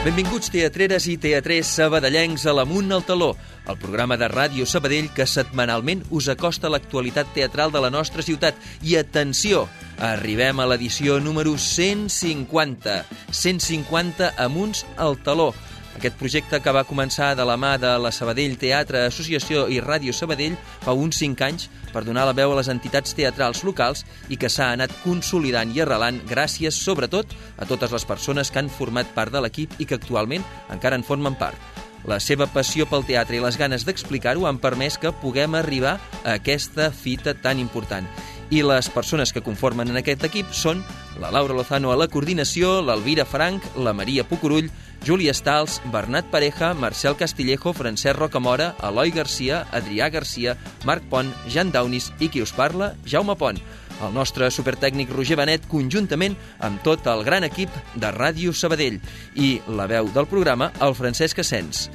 Benvinguts teatreres i teatrers sabadellencs a l'Amunt al Taló, el programa de Ràdio Sabadell que setmanalment us acosta l'actualitat teatral de la nostra ciutat. I atenció, arribem a l'edició número 150. 150 Amunts al Taló. Aquest projecte que va començar de la mà de la Sabadell Teatre Associació i Ràdio Sabadell fa uns 5 anys per donar la veu a les entitats teatrals locals i que s'ha anat consolidant i arrelant gràcies, sobretot, a totes les persones que han format part de l'equip i que actualment encara en formen part. La seva passió pel teatre i les ganes d'explicar-ho han permès que puguem arribar a aquesta fita tan important. I les persones que conformen en aquest equip són la Laura Lozano a la coordinació, l'Elvira Frank, la Maria Pucurull, Júlia Stals, Bernat Pareja, Marcel Castillejo, Francesc Rocamora, Eloi Garcia, Adrià Garcia, Marc Pont, Jan Daunis i qui us parla, Jaume Pont. El nostre supertècnic Roger Benet, conjuntament amb tot el gran equip de Ràdio Sabadell. I la veu del programa, el Francesc Asens.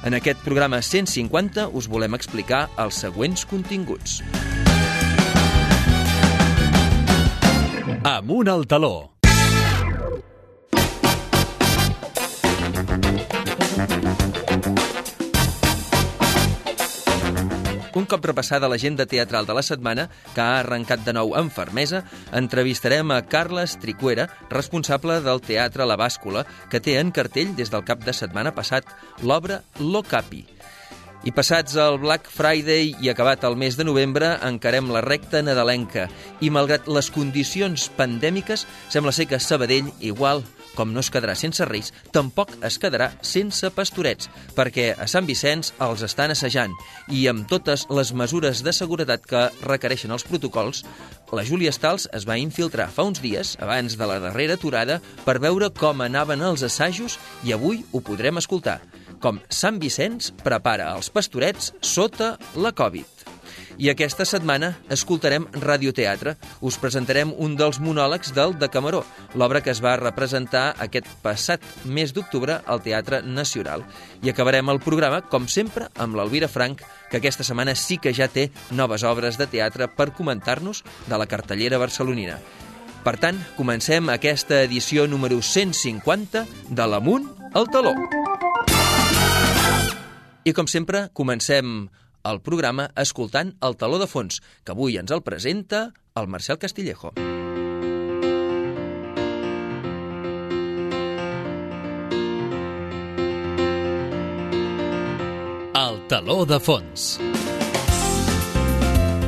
En aquest programa 150 us volem explicar els següents continguts. Amunt al Taló. Un cop repassada l'agenda teatral de la setmana, que ha arrencat de nou amb fermesa, entrevistarem a Carles Tricuera, responsable del Teatre La Bàscula, que té en cartell des del cap de setmana passat l'obra Lo Capi. I passats el Black Friday i acabat el mes de novembre, encarem la recta nadalenca. I malgrat les condicions pandèmiques, sembla ser que Sabadell, igual com no es quedarà sense Reis, tampoc es quedarà sense Pastorets, perquè a Sant Vicenç els estan assajant i amb totes les mesures de seguretat que requereixen els protocols, la Júlia Stals es va infiltrar fa uns dies, abans de la darrera aturada, per veure com anaven els assajos i avui ho podrem escoltar, com Sant Vicenç prepara els Pastorets sota la Covid. I aquesta setmana escoltarem radioteatre. Us presentarem un dels monòlegs del Decameró, l'obra que es va representar aquest passat mes d'octubre al Teatre Nacional. I acabarem el programa, com sempre, amb l'Elvira Frank, que aquesta setmana sí que ja té noves obres de teatre per comentar-nos de la cartellera barcelonina. Per tant, comencem aquesta edició número 150 de l'Amunt al Taló. I com sempre, comencem el programa escoltant el Taló de Fons, que avui ens el presenta el Marcel Castillejo. El Taló de Fons.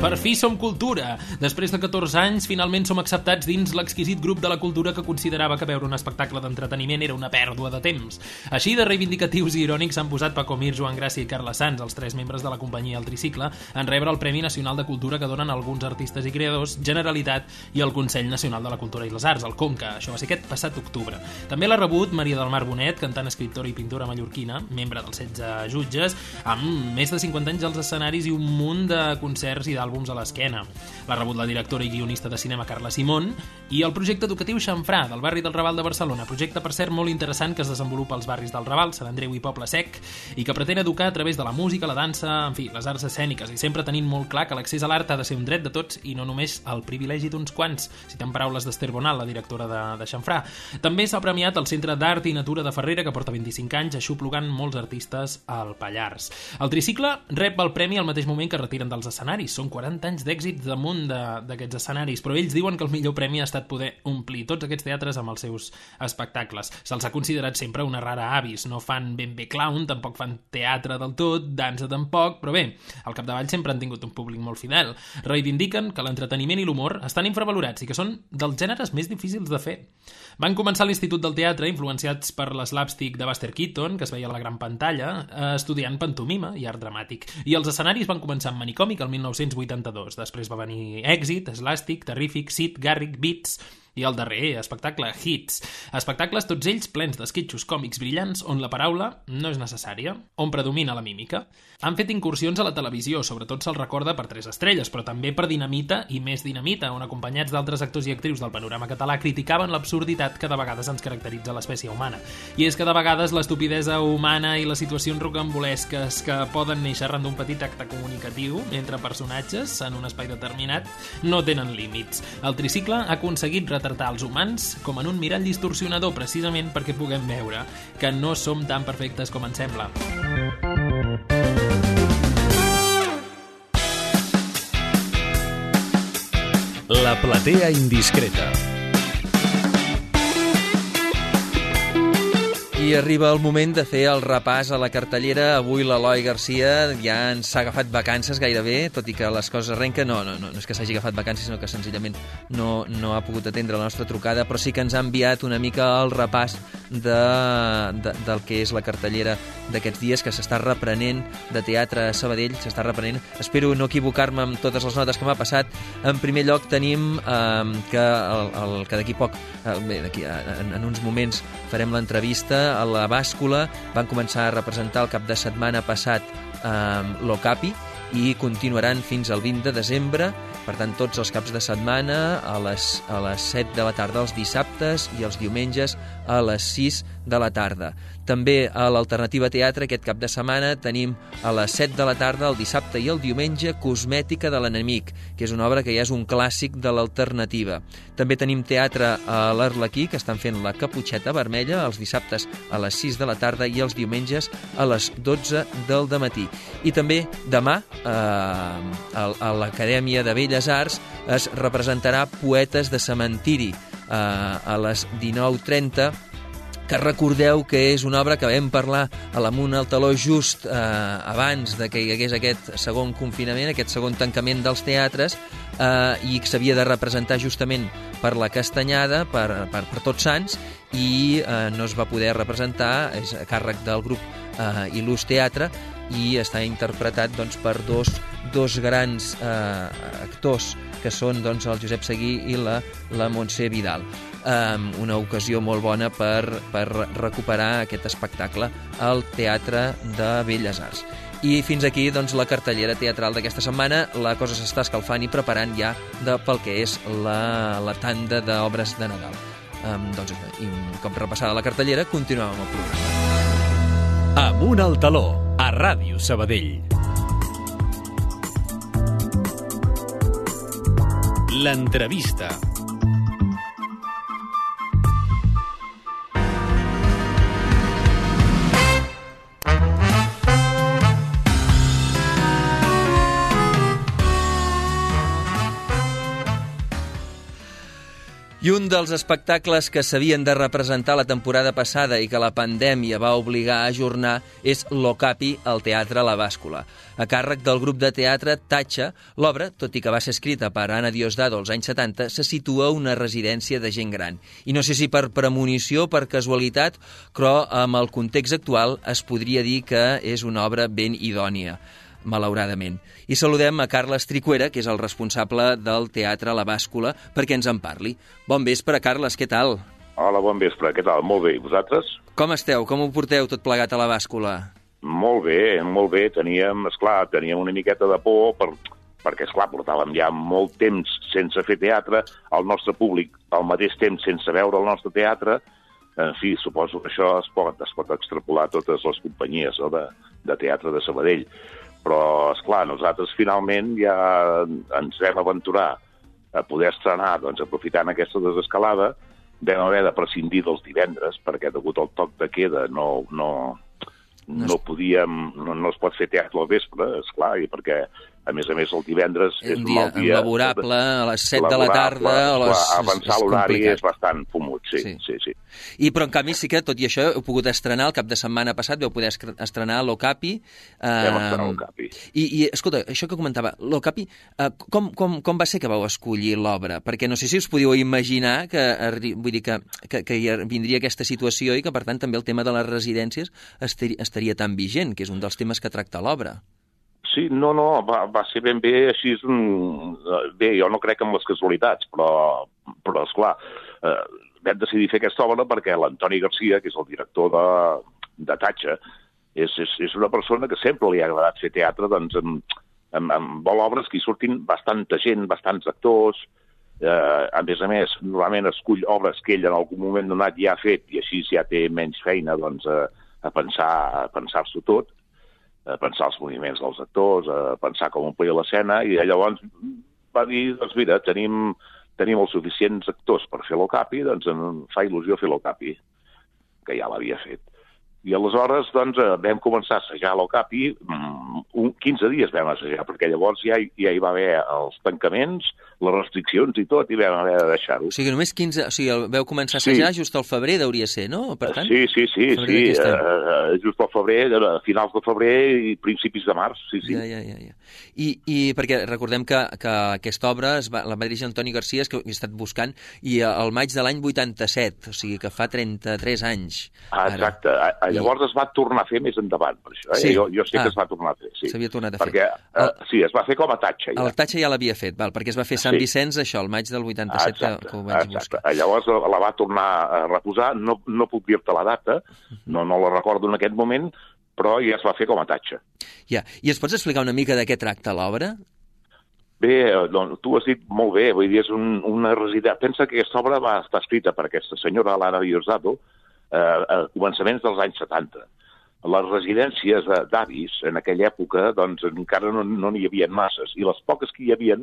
Per fi som cultura! Després de 14 anys, finalment som acceptats dins l'exquisit grup de la cultura que considerava que veure un espectacle d'entreteniment era una pèrdua de temps. Així de reivindicatius i irònics s'han posat Paco Mir, Joan Gràcia i Carles Sans, els 3 membres de la companyia El Tricicle, en rebre el Premi Nacional de Cultura que donen alguns artistes i creadors, Generalitat i el Consell Nacional de la Cultura i les Arts, el CONCA. Això va ser aquest passat octubre. També l'ha rebut Maria del Mar Bonet, cantant, escriptora i pintora mallorquina, membre dels 16 jutges, amb més de 50 anys als escenaris i un munt de concerts i d'àlbums a l'esquena. L'ha rebut la directora i guionista de cinema Carla Simón i el projecte educatiu Xamfrà, del barri del Raval de Barcelona, projecte, per cert, molt interessant que es desenvolupa als barris del Raval, Sant Andreu i Poble Sec, i que pretén educar a través de la música, la dansa, en fi, les arts escèniques, i sempre tenint molt clar que l'accés a l'art ha de ser un dret de tots i no només el privilegi d'uns quants, citant paraules d'Esther Bonal, la directora de Xamfrà. També s'ha premiat el Centre d'Art i Natura de Ferrera, que porta 25 anys aixoplugant molts artistes al Pallars. El Tricicle rep el premi al mateix moment que retiren dels escenaris. Són 40 anys d'èxits damunt d'aquests escenaris, però ells diuen que el millor premi ha estat poder omplir tots aquests teatres amb els seus espectacles. Se'ls ha considerat sempre una rara avis, no fan ben bé clown, tampoc fan teatre del tot, dansa tampoc, però bé, al capdavall sempre han tingut un públic molt fidel. Reivindiquen que l'entreteniment i l'humor estan infravalorats i que són dels gèneres més difícils de fer. Van començar a l'Institut del Teatre, influenciats per l'slapstick de Buster Keaton, que es veia a la gran pantalla, estudiant pantomima i art dramàtic. I els escenaris van començar amb Manicòmic el 1982. Després va venir Èxit, Slàstic, Terrífic, Sid, Garrick, Beats i el darrer espectacle, Hits. Espectacles tots ells plens d'esquetxos còmics brillants on la paraula no és necessària, on predomina la mímica. Han fet incursions a la televisió, sobretot se'ls recorda per 3 estrelles, però també per Dinamita i Més Dinamita, on acompanyats d'altres actors i actrius del panorama català criticaven l'absurditat que de vegades ens caracteritza l'espècie humana. I és que de vegades l'estupidesa humana i les situacions rocambolesques que poden néixer arran d'un petit acte comunicatiu entre personatges en un espai determinat no tenen límits. El Tricicle ha aconseguit retratar els humans com en un mirall distorsionador, precisament perquè puguem veure que no som tan perfectes com ens sembla. La platea indiscreta. I arriba el moment de fer el repàs a la cartellera. Avui l'Eloi Garcia ja ens ha agafat vacances gairebé, tot i que les coses arrenquen. No és que s'hagi agafat vacances, sinó que senzillament no ha pogut atendre la nostra trucada, però sí que ens ha enviat una mica el repàs del que és la cartellera d'aquests dies, que s'està reprenent de teatre a Sabadell, s'està reprenent. Espero no equivocar-me amb totes les notes que m'ha passat. En primer lloc tenim que d'aquí poc, en uns moments, farem l'entrevista a la Bàscula. Van començar a representar el cap de setmana passat l'Ocapi i continuaran fins al 20 de desembre. Per tant, tots els caps de setmana a les 7 de la tarda els dissabtes i els diumenges a les 6 de la tarda. També a l'Alternativa Teatre aquest cap de setmana tenim a les 7 de la tarda el dissabte i el diumenge Cosmètica de l'enemic, que és una obra que ja és un clàssic de l'alternativa. També tenim teatre a l'Arlequí, que estan fent La Caputxeta Vermella els dissabtes a les 6 de la tarda i els diumenges a les 12 del dematí. I també demà a l'Acadèmia de Belles Arts es representarà Poetes de cementiri a les 19:30, que recordeu que és una obra que vam parlar a l'Amunt al Taló just abans de que hi hagués aquest segon confinament, aquest segon tancament dels teatres, i que s'havia de representar justament per la Castanyada, per Tots Sants, i no es va poder representar, és a càrrec del grup Il·lus Teatre, i està interpretat per dos grans actors, que són el Josep Seguí i la Montse Vidal. Una ocasió molt bona per recuperar aquest espectacle al Teatre de Belles Arts. I fins aquí la cartellera teatral d'aquesta setmana. La cosa s'està escalfant i preparant ja pel que és la tanda d'obres de Nadal. I un cop repassada la cartellera, continuem amb el programa. Amunt al Taló, a Ràdio Sabadell. L'entrevista. I un dels espectacles que s'havien de representar la temporada passada i que la pandèmia va obligar a ajornar és l'Ocapi al Teatre La Bàscula. A càrrec del grup de teatre Tatxa, l'obra, tot i que va ser escrita per Anna Diosdado als anys 70, se situa a una residència de gent gran. I no sé si per premonició, per casualitat, però amb el context actual es podria dir que és una obra ben idònia, malauradament. I saludem a Carles Tricuera, que és el responsable del Teatre La Bàscula, perquè ens en parli. Bon vespre, Carles, què tal? Hola, bon vespre, què tal? Molt bé, i vosaltres? Com esteu? Com ho porteu tot plegat a La Bàscula? Molt bé. Teníem una miqueta de por perquè, esclar, portàvem ja molt temps sense fer teatre, el nostre públic al mateix temps sense veure el nostre teatre. En fi, suposo que això es pot extrapolar a totes les companyies de teatre de Sabadell. Però, esclar, nosaltres finalment ja ens vam aventurar a poder estrenar, aprofitant aquesta desescalada, vam haver de prescindir dels divendres, perquè degut al toc de queda no es pot fer teatre al vespre, esclar, i perquè, a més, el divendres és un mal dia. Laborable, a les 7 de la tarda... Avançar l'horari és bastant fumut, sí. Però, en canvi, sí que, tot i això, heu pogut estrenar el cap de setmana passat, vau poder estrenar l'Ocapi. Vam estrenar l'Ocapi. I, escolta, això que comentava, l'Ocapi, com va ser que vau escollir l'obra? Perquè no sé si us podíeu imaginar que vindria aquesta situació i que, per tant, també el tema de les residències estaria tan vigent, que és un dels temes que tracta l'obra. Sí, va ser ben bé així. Bé, jo no crec en les casualitats, però esclar, vam decidir fer aquesta obra perquè l'Antoni Garcia, que és el director de Tatxa, és una persona que sempre li ha agradat fer teatre, vol obres que hi surtin bastanta gent, bastants actors. A més, normalment escull obres que ell en algun moment donat ja ha fet i així ja té menys feina a pensar-s'ho tot, a pensar els moviments dels actors, a pensar com omplir l'escena, i llavors va dir, mira, tenim tenim els suficients actors per fer l'Ocapi, doncs em fa il·lusió fer l'Ocapi, que ja l'havia fet. I aleshores, doncs, vam començar a assajar l'Ocapi, 15 dies vam assajar, perquè llavors ja hi va haver els tancaments, les restriccions i tot, i vam haver de deixar-ho. O sigui, només 15... O sigui, veu començar a assajar just al febrer, deuria ser, no? Per tant, sí. Just al febrer, a finals de febrer i principis de març, sí. Ja. I perquè recordem que aquesta obra la va dirigir Antoni Garcia, que he estat buscant, i al maig de l'any 87, o sigui que fa 33 anys. Exacte. Llavors es va tornar a fer més endavant, per això. Sí. Jo sé que es va tornar a fer, sí. S'havia tornat a fer. Sí, es va fer com a tatxa. El tatxa ja l'havia fet, perquè es va fer Sant Vicenç, això, el maig del 87, que ho vaig buscar. Llavors la va tornar a reposar, no puc dir-te la data, no la recordo en aquest moment, però ja es va fer com a tatxa. Ja. I ens pots explicar una mica de què tracta l'obra? Bé, doncs, tu has dit molt bé, vull dir, és una residència. Pensa que aquesta obra va estar escrita per aquesta senyora, Lara Diosdado, a començaments dels anys 70. Les residències d'avis, en aquella època, doncs encara no n'hi havia masses, i les poques que hi havia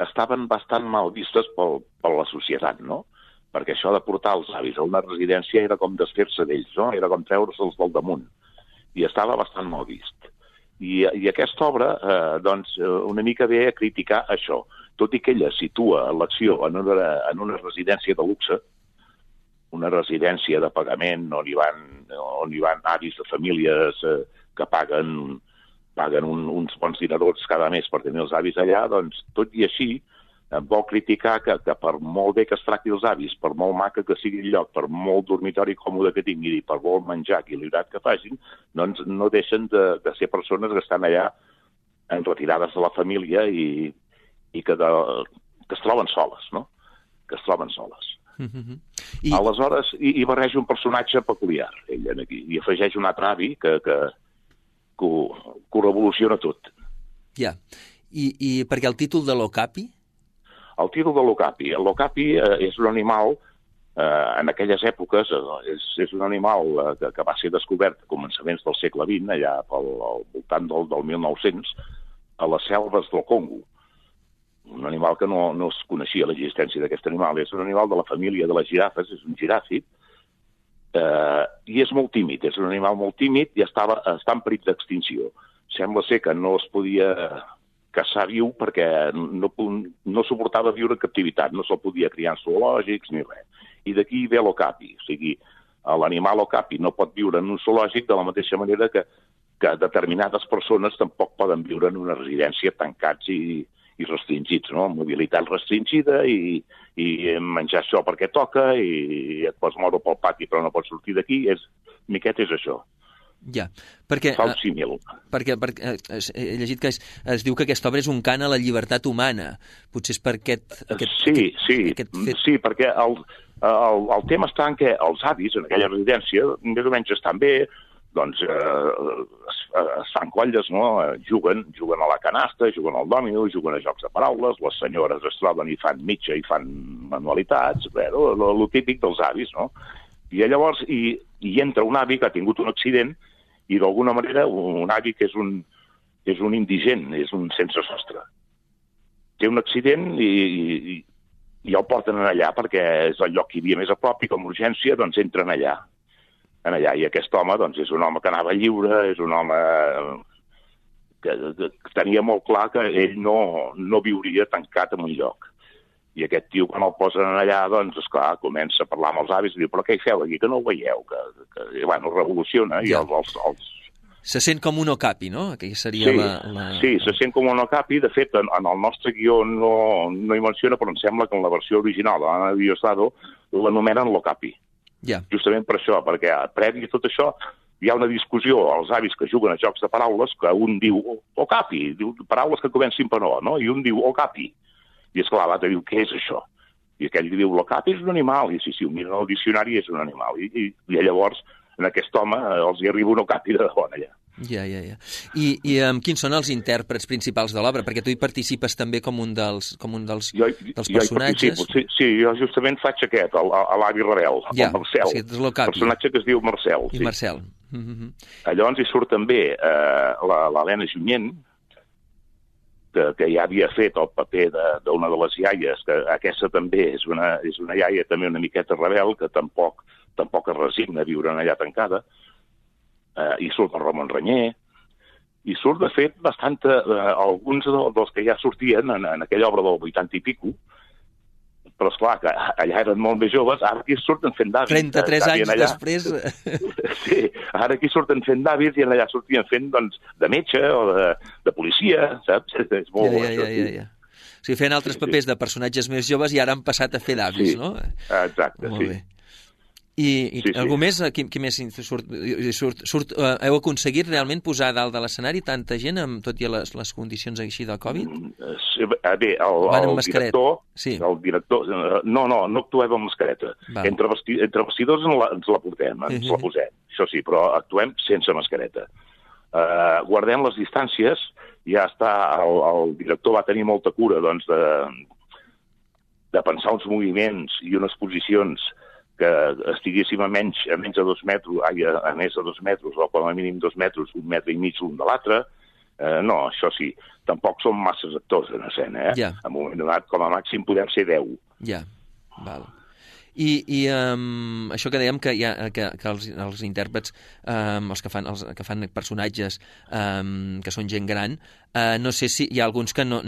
estaven bastant mal vistes per la societat, no? Perquè això de portar els avis a una residència era com desfer-se d'ells, no? Era com treure'ls del damunt, i estava bastant mal vist. I aquesta obra, doncs, una mica ve a criticar això, tot i que ella situa l'acció en una residència de luxe, una residència de pagament on hi van avis de famílies que paguen uns bons dinerons cada mes per tenir els avis allà, doncs tot i així vol criticar que per molt bé que es tracti els avis, per molt maca que sigui el lloc, per molt dormitori còmode que tinguin i per molt menjar equilibrat que facin, doncs no deixen de ser persones que estan allà retirades de la família i que es troben soles, no? Que es troben soles. Aleshores, hi barreja un personatge peculiar, ella, aquí, i afegeix un altre avi que ho revoluciona tot. Ja. I perquè el títol de l'Ocapi? El títol de l'Ocapi. L'Ocapi és un animal, en aquelles èpoques, és un animal que va ser descobert a començaments del segle XX, allà al voltant del 1900, a les selves del Congo. Un animal que no es coneixia l'existència d'aquest animal. És un animal de la família de les girafes, és un giràfid, i és molt tímid. És un animal molt tímid i està en perill d'extinció. Sembla ser que no es podia caçar viu perquè no suportava viure en captivitat, no se'l podia criar en zoològics ni res. I d'aquí ve l'Ocapi, o sigui, l'animal Ocapi no pot viure en un zoològic de la mateixa manera que determinades persones tampoc poden viure en una residència tancats i restringits, no? Mobilitat restringida i menjar això perquè toca i et pots moure pel pati però no pots sortir d'aquí. Miquet és això. Ja, perquè... Fa un símil. Perquè he llegit que es diu que aquesta obra és un cant a la llibertat humana. Potser és per aquest Sí, perquè el tema està en què els avis en aquella residència més o menys estan bé, doncs es fan colles, no? Juguen a la canasta, juguen al dòmino, juguen a jocs de paraules, les senyores es troben i fan mitja i fan manualitats, el típic dels avis, no? I llavors hi entra un avi que ha tingut un accident i d'alguna manera un avi que és un indigent, és un sense sostre. Té un accident i el porten allà perquè és el lloc que hi havia més a prop i com a urgència doncs entren allà. I aquest home doncs, és un home que anava lliure, és un home que tenia molt clar que ell no viuria tancat en un lloc. I aquest tio, quan el posen allà, doncs, esclar, comença a parlar amb els avis i diu, però què hi feu aquí, que no ho veieu? Bueno, revoluciona i els... Se sent com un Ocapi, no? Que seria Sí, se sent com un Ocapi. De fet, en el nostre guió no hi menciona, però em sembla que en la versió original de l'Anna Diosdado l'anomenen l'Ocapi. Ja. Justament per això, perquè previ a tot això hi ha una discussió als avis que juguen a jocs de paraules que un diu Ocapi, diu paraules que comencin per no? I un diu Ocapi. I esclar, l'altre diu, què és això? I aquell diu, l'Ocapi és un animal. I sí, ho miren al diccionari, és un animal. I llavors, en aquest home, els hi arriba un Ocapi de debò allà. Ja. I quins són els intèrprets principals de l'obra? Perquè tu hi participes també com un dels personatges. Sí, jo justament faig aquest, l'avi rebel, el Marcel. Sí, és l'Ocapi. Personatge que es diu Marcel. I Marcel. Llavors hi surt també l'Helena Junyent, que ja havia fet el paper d'una de les iaies, que aquesta també és una iaia també una miqueta rebel, que tampoc es resigna a viure allà tancada, i surt el Ramon Renyer, i surt, de fet, alguns dels que ja sortien en aquella obra del 80 i pico, però esclar, que allà eren molt més joves, ara aquí surten fent d'avis. 33 anys allà. Després... Sí, ara aquí surten fent d'avis i allà sortien fent, doncs, de metge o de policia, saps? És molt bo, això. Ja. O sigui, feien altres papers de personatges més joves i ara han passat a fer d'avis, no? Exacte, molt bé. I algú més? Qui més surt? Heu aconseguit realment posar a dalt de l'escenari tanta gent, tot i les condicions així de Covid? Bé, el director... No actuem amb mascareta. Entre vestidors ens la portem, ens la posem, això sí, però actuem sense mascareta. Guardem les distàncies, ja està, el director va tenir molta cura, doncs, de pensar uns moviments i unes posicions que estiguéssim a menys de 2 metres, a més de 2 metres, o com a mínim 2 metres, 1 metre i mig l'un de l'altre. No, això sí, tampoc som masses actors en escena, Ja. En un moment donat, com a màxim, podem ser 10. Ja, val. I això que dèiem que els intèrprets, els que fan personatges que són gent gran, no sé si hi ha alguns que no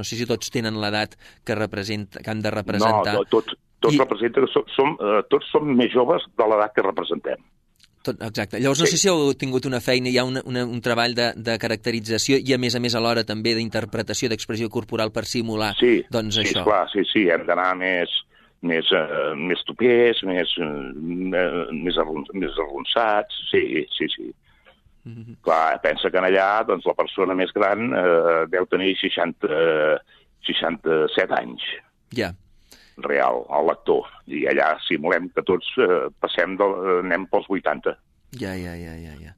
sé si tots tenen l'edat que han de representar. No, tots representen, tots som més joves de l'edat que representem. Exacte. Llavors no sé si heu tingut una feina, hi ha un treball de caracterització i a més alhora també d'interpretació, d'expressió corporal per simular doncs això. Sí, esclar, sí, hem d'anar més tupers, més arronsats, sí. Clar, pensa que allà doncs, la persona més gran deu tenir 67 anys. Ja. Real, el lector. I allà simulem que tots anem pels 80. Ja.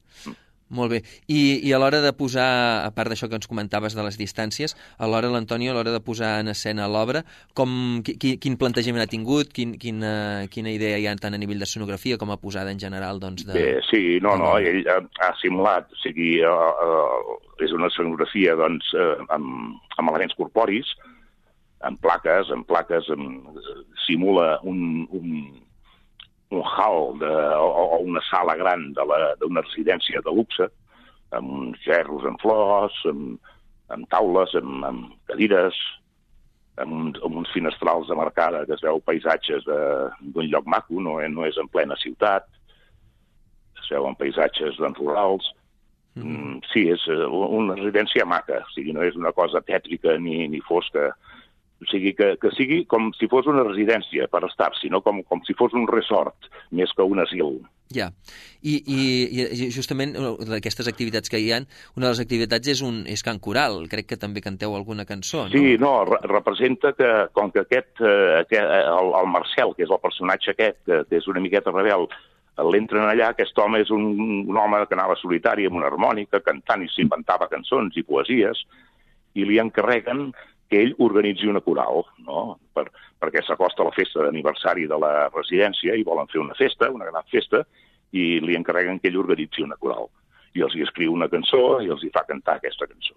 Molt bé. I a l'hora de posar, a part d'això que ens comentaves de les distàncies, l'Antonio, a l'hora de posar en escena l'obra, quin plantejament ha tingut, quina idea hi ha tant a nivell d'escenografia com a posada en general? Doncs, Bé, sí, ell ha simulat, o sigui, és una escenografia doncs, amb elements corporis, en plaques, simula un hall o una sala gran d'una residència de luxe, amb uns gerros en flors, amb taules, amb cadires, amb uns finestrals de marcada que es veu paisatges d'un lloc maco, no és en plena ciutat, es veuen paisatges rurals. Sí, és una residència maca, o sigui, no és una cosa tètrica ni fosca. O sigui, que sigui com si fos una residència per estar, sinó com si fos un resort, més que un asil. Ja, i justament d'aquestes activitats que hi ha, una de les activitats és cant coral, crec que també canteu alguna cançó, no? Sí, representa que, com que el Marcel, que és el personatge aquest, que és una miqueta rebel, l'entren allà, aquest home és un home que anava solitari amb una harmònica, cantant i s'inventava cançons i poesies, i li encarreguen que ell organitzi una coral, no? Perquè s'acosta la festa d'aniversari de la residència i volen fer una festa, una gran festa, i li encarreguen que ell organitzi una coral. I els hi escriu una cançó i els hi fa cantar aquesta cançó.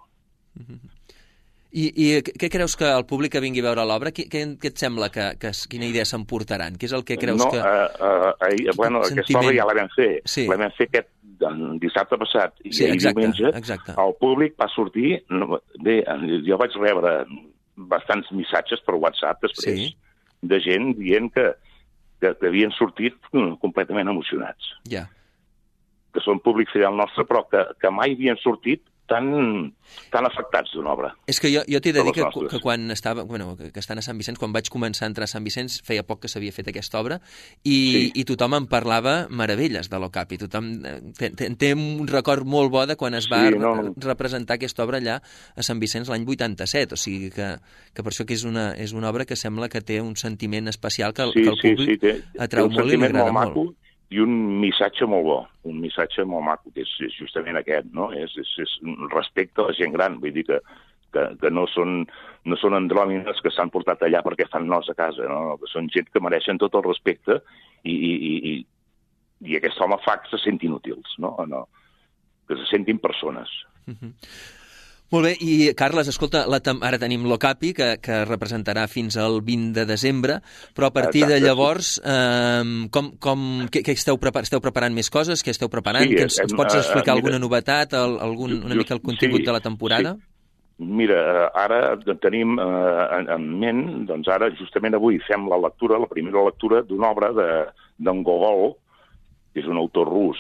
I què creus que el públic que vingui a veure l'obra, què et sembla quina idea s'emportaran? Què és el que creus que... Aquesta obra ja la vam fer. Sí. La vam fer aquest dissabte passat i diumenge. El públic va sortir... Bé, jo vaig rebre bastants missatges per WhatsApp després de gent dient que havien sortit completament emocionats. Ja. Que són públic fidel nostre, però que mai havien sortit tan afectats d'una obra. És que jo t'he de dir que quan estava... que estant a Sant Vicenç, quan vaig començar a entrar a Sant Vicenç, feia poc que s'havia fet aquesta obra, i tothom em parlava meravelles de l'Ocapi. Tothom té un record molt bo de quan es va representar aquesta obra allà a Sant Vicenç l'any 87. O sigui que per això que és una obra que sembla que té un sentiment especial que el públic atrau molt i li agrada molt. I un missatge molt bo, un missatge molt maco, que és justament aquest, no? És respecte a la gent gran, vull dir que no són andròmines que s'han portat allà perquè fan nos a casa, no? Que són gent que mereixen tot el respecte i aquest home fa que se sentin útils, no? Que se sentin persones. Molt bé, i Carles, escolta, ara tenim l'Ocapi, que representarà fins al 20 de desembre, però a partir de llavors, què esteu preparant més coses? Què esteu preparant? Sí, ens pots explicar alguna novetat, una mica el contingut de la temporada? Sí. Mira, ara tenim en ment, doncs ara, justament avui, fem la primera lectura d'una obra d'en Gogol, que és un autor rus,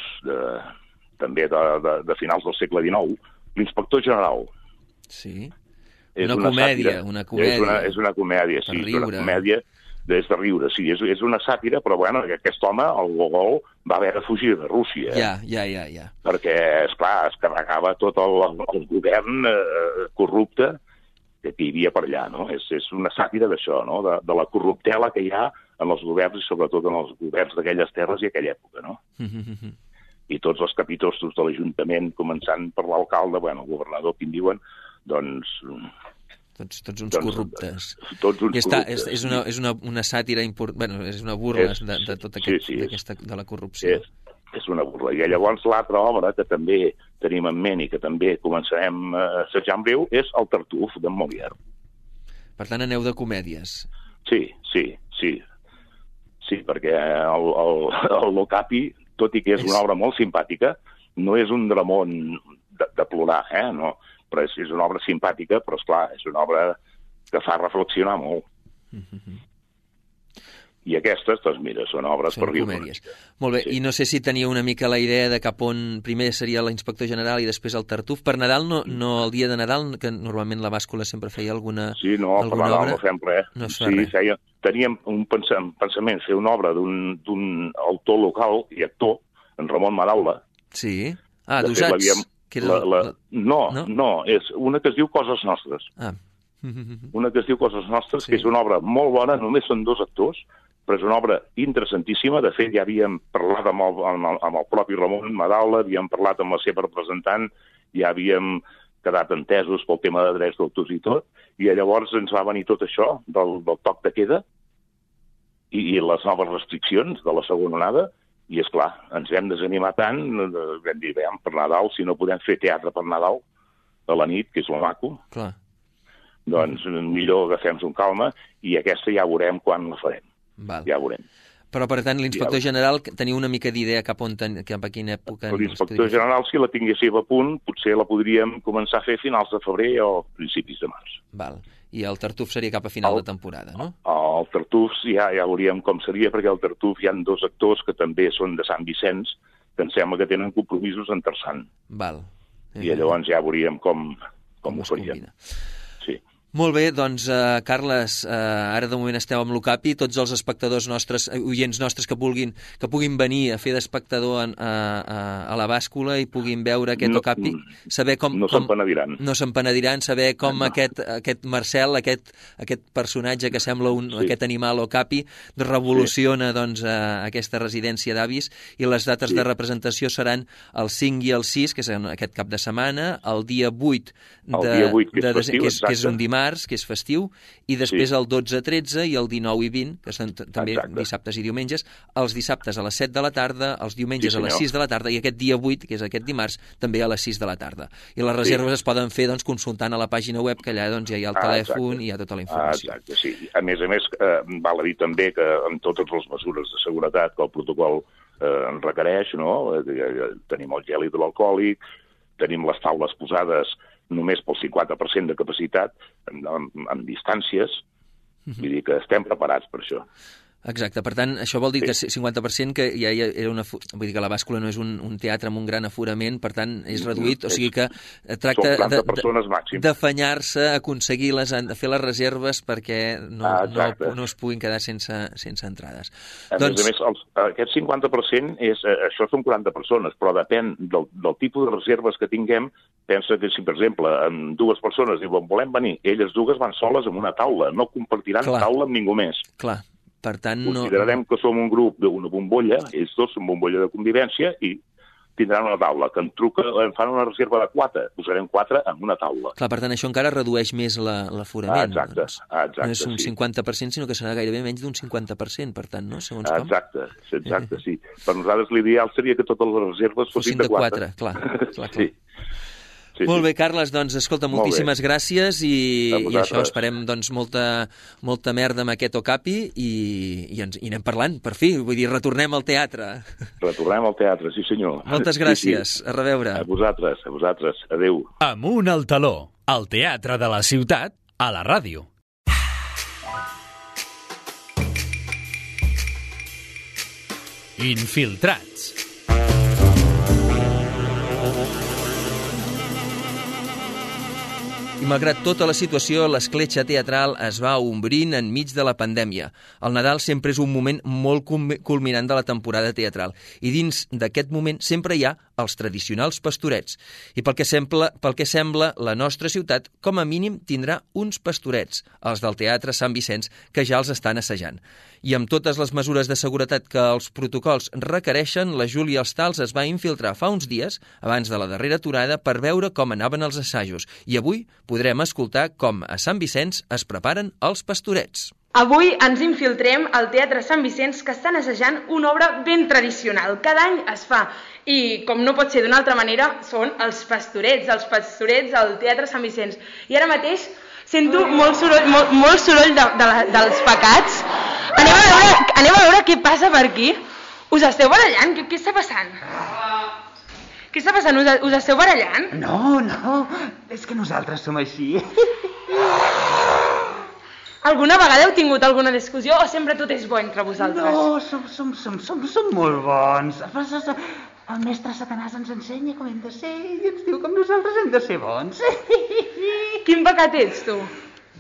també de finals del segle XIX, l'Inspector General. Sí, una comèdia. És una comèdia, sí, és una comèdia de riure, sí, és una sàtira, però bueno, aquest home, el Gogol, va haver de fugir de Rússia. Ja. Perquè, esclar, es carregava tot el govern corrupte que hi havia per allà, no? És una sàtira d'això, no? De la corruptela que hi ha en els governs i sobretot en els governs d'aquelles terres i aquella època, no? I tots els capitostos de l'Ajuntament, començant per l'alcalde, bueno, el governador, qui en diuen, doncs... Tots uns corruptes. Tots uns corruptes. És una sàtira important, bueno, és una burla de tot aquest, de la corrupció. És una burla. I llavors l'altra obra que també tenim en ment i que també començarem a assajar en breu és El Tartuf, d'en Molière. Per tant, aneu de comèdies. Sí, perquè el L'Ocapi, tot i que és una obra molt simpàtica, no és un dramón de plorar, no? Però és una obra simpàtica, però, esclar, és una obra que fa reflexionar molt. I aquestes, doncs mira, són obres per riure. Comèdies. Molt bé, i no sé si tenia una mica la idea de cap on primer seria l'Inspector General i després el Tartuf. Per Nadal, no el dia de Nadal, que normalment la bàscula sempre feia alguna obra? Sí, no, per Nadal no fem res. No es fa res. Teníem un pensament, fer una obra d'un autor local i actor, en Ramon Madaula. Sí? d'usats. No, és una que es diu Coses Nostres. Una que es diu Coses Nostres, que és una obra molt bona, només són 2 actors, però és una obra interessantíssima. De fet, ja havíem parlat amb el propi Ramon Madaula, havíem parlat amb la seva representant, ja havíem quedat entesos pel tema de drets d'autors i tot, i llavors ens va venir tot això del toc de queda i les noves restriccions de la segona onada, i, esclar, ens vam desanimar tant, vam dir, per Nadal, si no podem fer teatre per Nadal a la nit, que és lo maco, doncs millor agafem-nos un calma, i aquesta ja veurem quan la farem. Ja veurem. Però, per tant, l'Inspector General teniu una mica d'idea cap a quina època... L'Inspector General, si la tinguéssiu a punt, potser la podríem començar a fer a finals de febrer o principis de març. Val. I el Tartuf seria cap a final de temporada, no? El Tartuf ja veuríem com seria, perquè al Tartuf hi ha 2 actors que també són de Sant Vicenç, que em sembla que tenen compromisos en Terçant. Val. I llavors ja veuríem com ho farien. Sí. Molt bé, doncs, Carles, ara de moment esteu amb l'Ocapi, tots els espectadors nostres, oients nostres que puguin venir a fer d'espectador a la bàscula i puguin veure aquest Ocapi, saber com... No s'empenediran. No s'empenediran, saber com aquest Marcel, aquest personatge que sembla aquest animal Ocapi, revoluciona doncs aquesta residència d'avis, i les dates de representació seran el 5 i el 6, que és aquest cap de setmana, el dia 8, que és un dimarts, que és festiu, i després el 12-13 i el 19 i 20, que són també dissabtes i diumenges, els dissabtes a les 7 de la tarda, els diumenges a les 6 de la tarda, i aquest dia 8, que és aquest dimarts, també a les 6 de la tarda. I les reserves es poden fer consultant a la pàgina web, que allà ja hi ha el telèfon i hi ha tota la informació. Exacte, sí. A més, val a dir també que amb totes les mesures de seguretat que el protocol en requereix, no? Tenim el gel hidroalcohòlic, tenim les taules posades només pel 50% de capacitat, amb distàncies, vull dir que estem preparats per això. Exacte, per tant, això vol dir que 50% que ja era vull dir que la bàscula no és un teatre amb un gran aforament, per tant, és reduït, o sigui que tracta d'afanyar-se, aconseguir-les, fer les reserves perquè no es puguin quedar sense entrades. A més, aquest 50% això són 40 persones, però depèn del tipus de reserves que tinguem. Pensa que si, per exemple, amb 2 persones diuen volem venir, elles 2 van soles en una taula, no compartiran taula amb ningú més. Clar. Per tant, considerarem que som un grup d'una bombolla, ells 2 són bombolla de convivència, i tindran una taula. Que em fan una reserva de 4, posarem 4 en una taula. Clar, per tant, això encara redueix més l'aforament. Exacte, no és un 50%, sinó que serà gairebé menys d'un 50%, per tant, no? Segons com. Exacte, sí. Per nosaltres l'ideal seria que totes les reserves fossin de 4. Clar. Sí, Molt bé, Carles, doncs escolta, moltíssimes gràcies i això, esperem doncs molta merda amb aquest Okapi i anem parlant, per fi, vull dir, retornem al teatre. Retornem al teatre, sí senyor. Moltes gràcies, Sí. A reveure. A vosaltres, adeu. Amunt al taló, al teatre de la ciutat, a la ràdio. Infiltrats. I malgrat tota la situació, l'escletxa teatral es va ombrint enmig de la pandèmia. El Nadal sempre és un moment molt culminant de la temporada teatral i dins d'aquest moment sempre hi ha els tradicionals pastorets. I pel que sembla, la nostra ciutat, com a mínim, tindrà uns pastorets, els del Teatre Sant Vicenç, que ja els estan assajant. I amb totes les mesures de seguretat que els protocols requereixen, la Júlia Ostals es va infiltrar fa uns dies, abans de la darrera aturada, per veure com anaven els assajos. I avui podrem escoltar com a Sant Vicenç es preparen els pastorets. Avui ens infiltrem al Teatre Sant Vicenç, que estan assajant una obra ben tradicional. Cada any es fa, i com no pot ser d'una altra manera, són els pastorets al Teatre Sant Vicenç. I ara mateix sento molt soroll dels pecats. Anem a veure què passa per aquí. Us esteu barallant? Què està passant? Què està passant? Us esteu barallant? No, és que nosaltres som així. Alguna vegada heu tingut alguna discussió o sempre tot és bo entre vosaltres? No, som molt bons. El mestre Satanàs ens ensenya com hem de ser i ens diu com nosaltres hem de ser bons. Quin pecat ets, tu?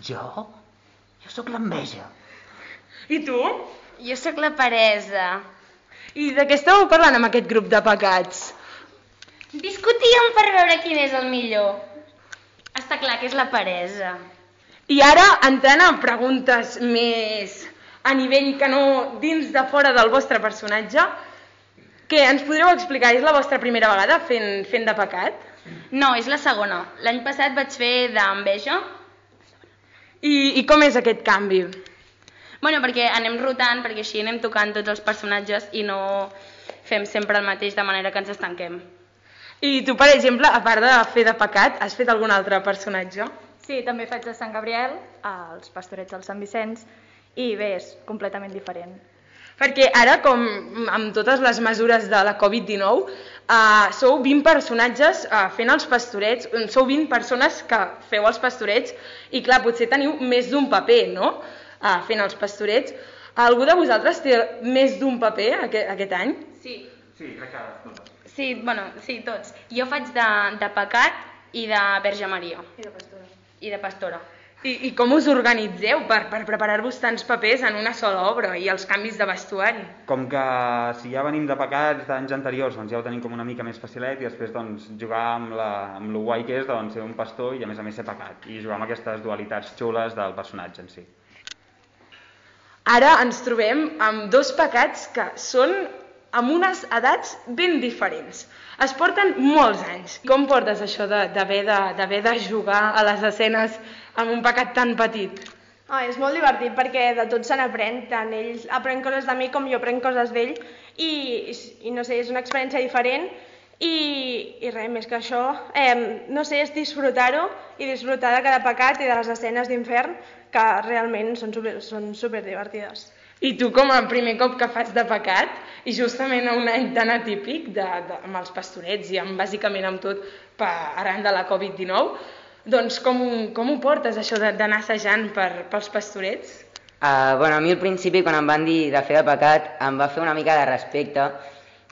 Jo sóc l'enveja. I tu? Jo sóc la peresa. I de què esteu parlant amb aquest grup de pecats? Discutíem per veure quin és el millor. Està clar que és la peresa. I ara, entrant a preguntes més a nivell que no dins de fora del vostre personatge, què, ens podríeu explicar? És la vostra primera vegada fent de pecat? No, és la segona. L'any passat vaig fer d'enveja. I com és aquest canvi? Bueno, perquè anem rotant, perquè així anem tocant tots els personatges i no fem sempre el mateix, de manera que ens estanquem. I tu, per exemple, a part de fer de pecat, has fet algun altre personatge? Sí, també faig de Sant Gabriel, als pastorets del Sant Vicenç, i bé, és completament diferent. Perquè ara, com amb totes les mesures de la Covid-19, sou 20 personatges fent els pastorets, sou 20 persones que feu els pastorets, i clar, potser teniu més d'un paper, no?, fent els pastorets. Algú de vosaltres té més d'un paper aquest any? Sí. Sí, crec que totes. Sí, tots. Jo faig de pecat i de Verge Maria. I de pastora. I com us organitzeu per preparar-vos tants papers en una sola obra i els canvis de vestuari? Com que si ja venim de pecats d'anys anteriors, doncs ja ho tenim com una mica més facilet i després doncs, jugar amb lo guai que és doncs, ser un pastor i a més ser pecat i jugar amb aquestes dualitats xules del personatge en si. Ara ens trobem amb dos pecats que són amb unes edats ben diferents. Es porten molts anys. Com portes això d'haver de jugar a les escenes amb un pecat tan petit? És molt divertit perquè de tot se n'aprèn, tant ell aprèn coses de mi com jo aprenc coses d'ell i no sé, és una experiència diferent i res més que això, no sé, és disfrutar-ho i disfrutar de cada pecat i de les escenes d'infern que realment són superdivertides. I tu, com a primer cop que fas de pecat, i justament a un any tan atípic amb els pastorets i bàsicament amb tot arran de la Covid-19, doncs com ho portes, això d'anar assajant pels pastorets? A mi al principi, quan em van dir de fer de pecat, em va fer una mica de respecte,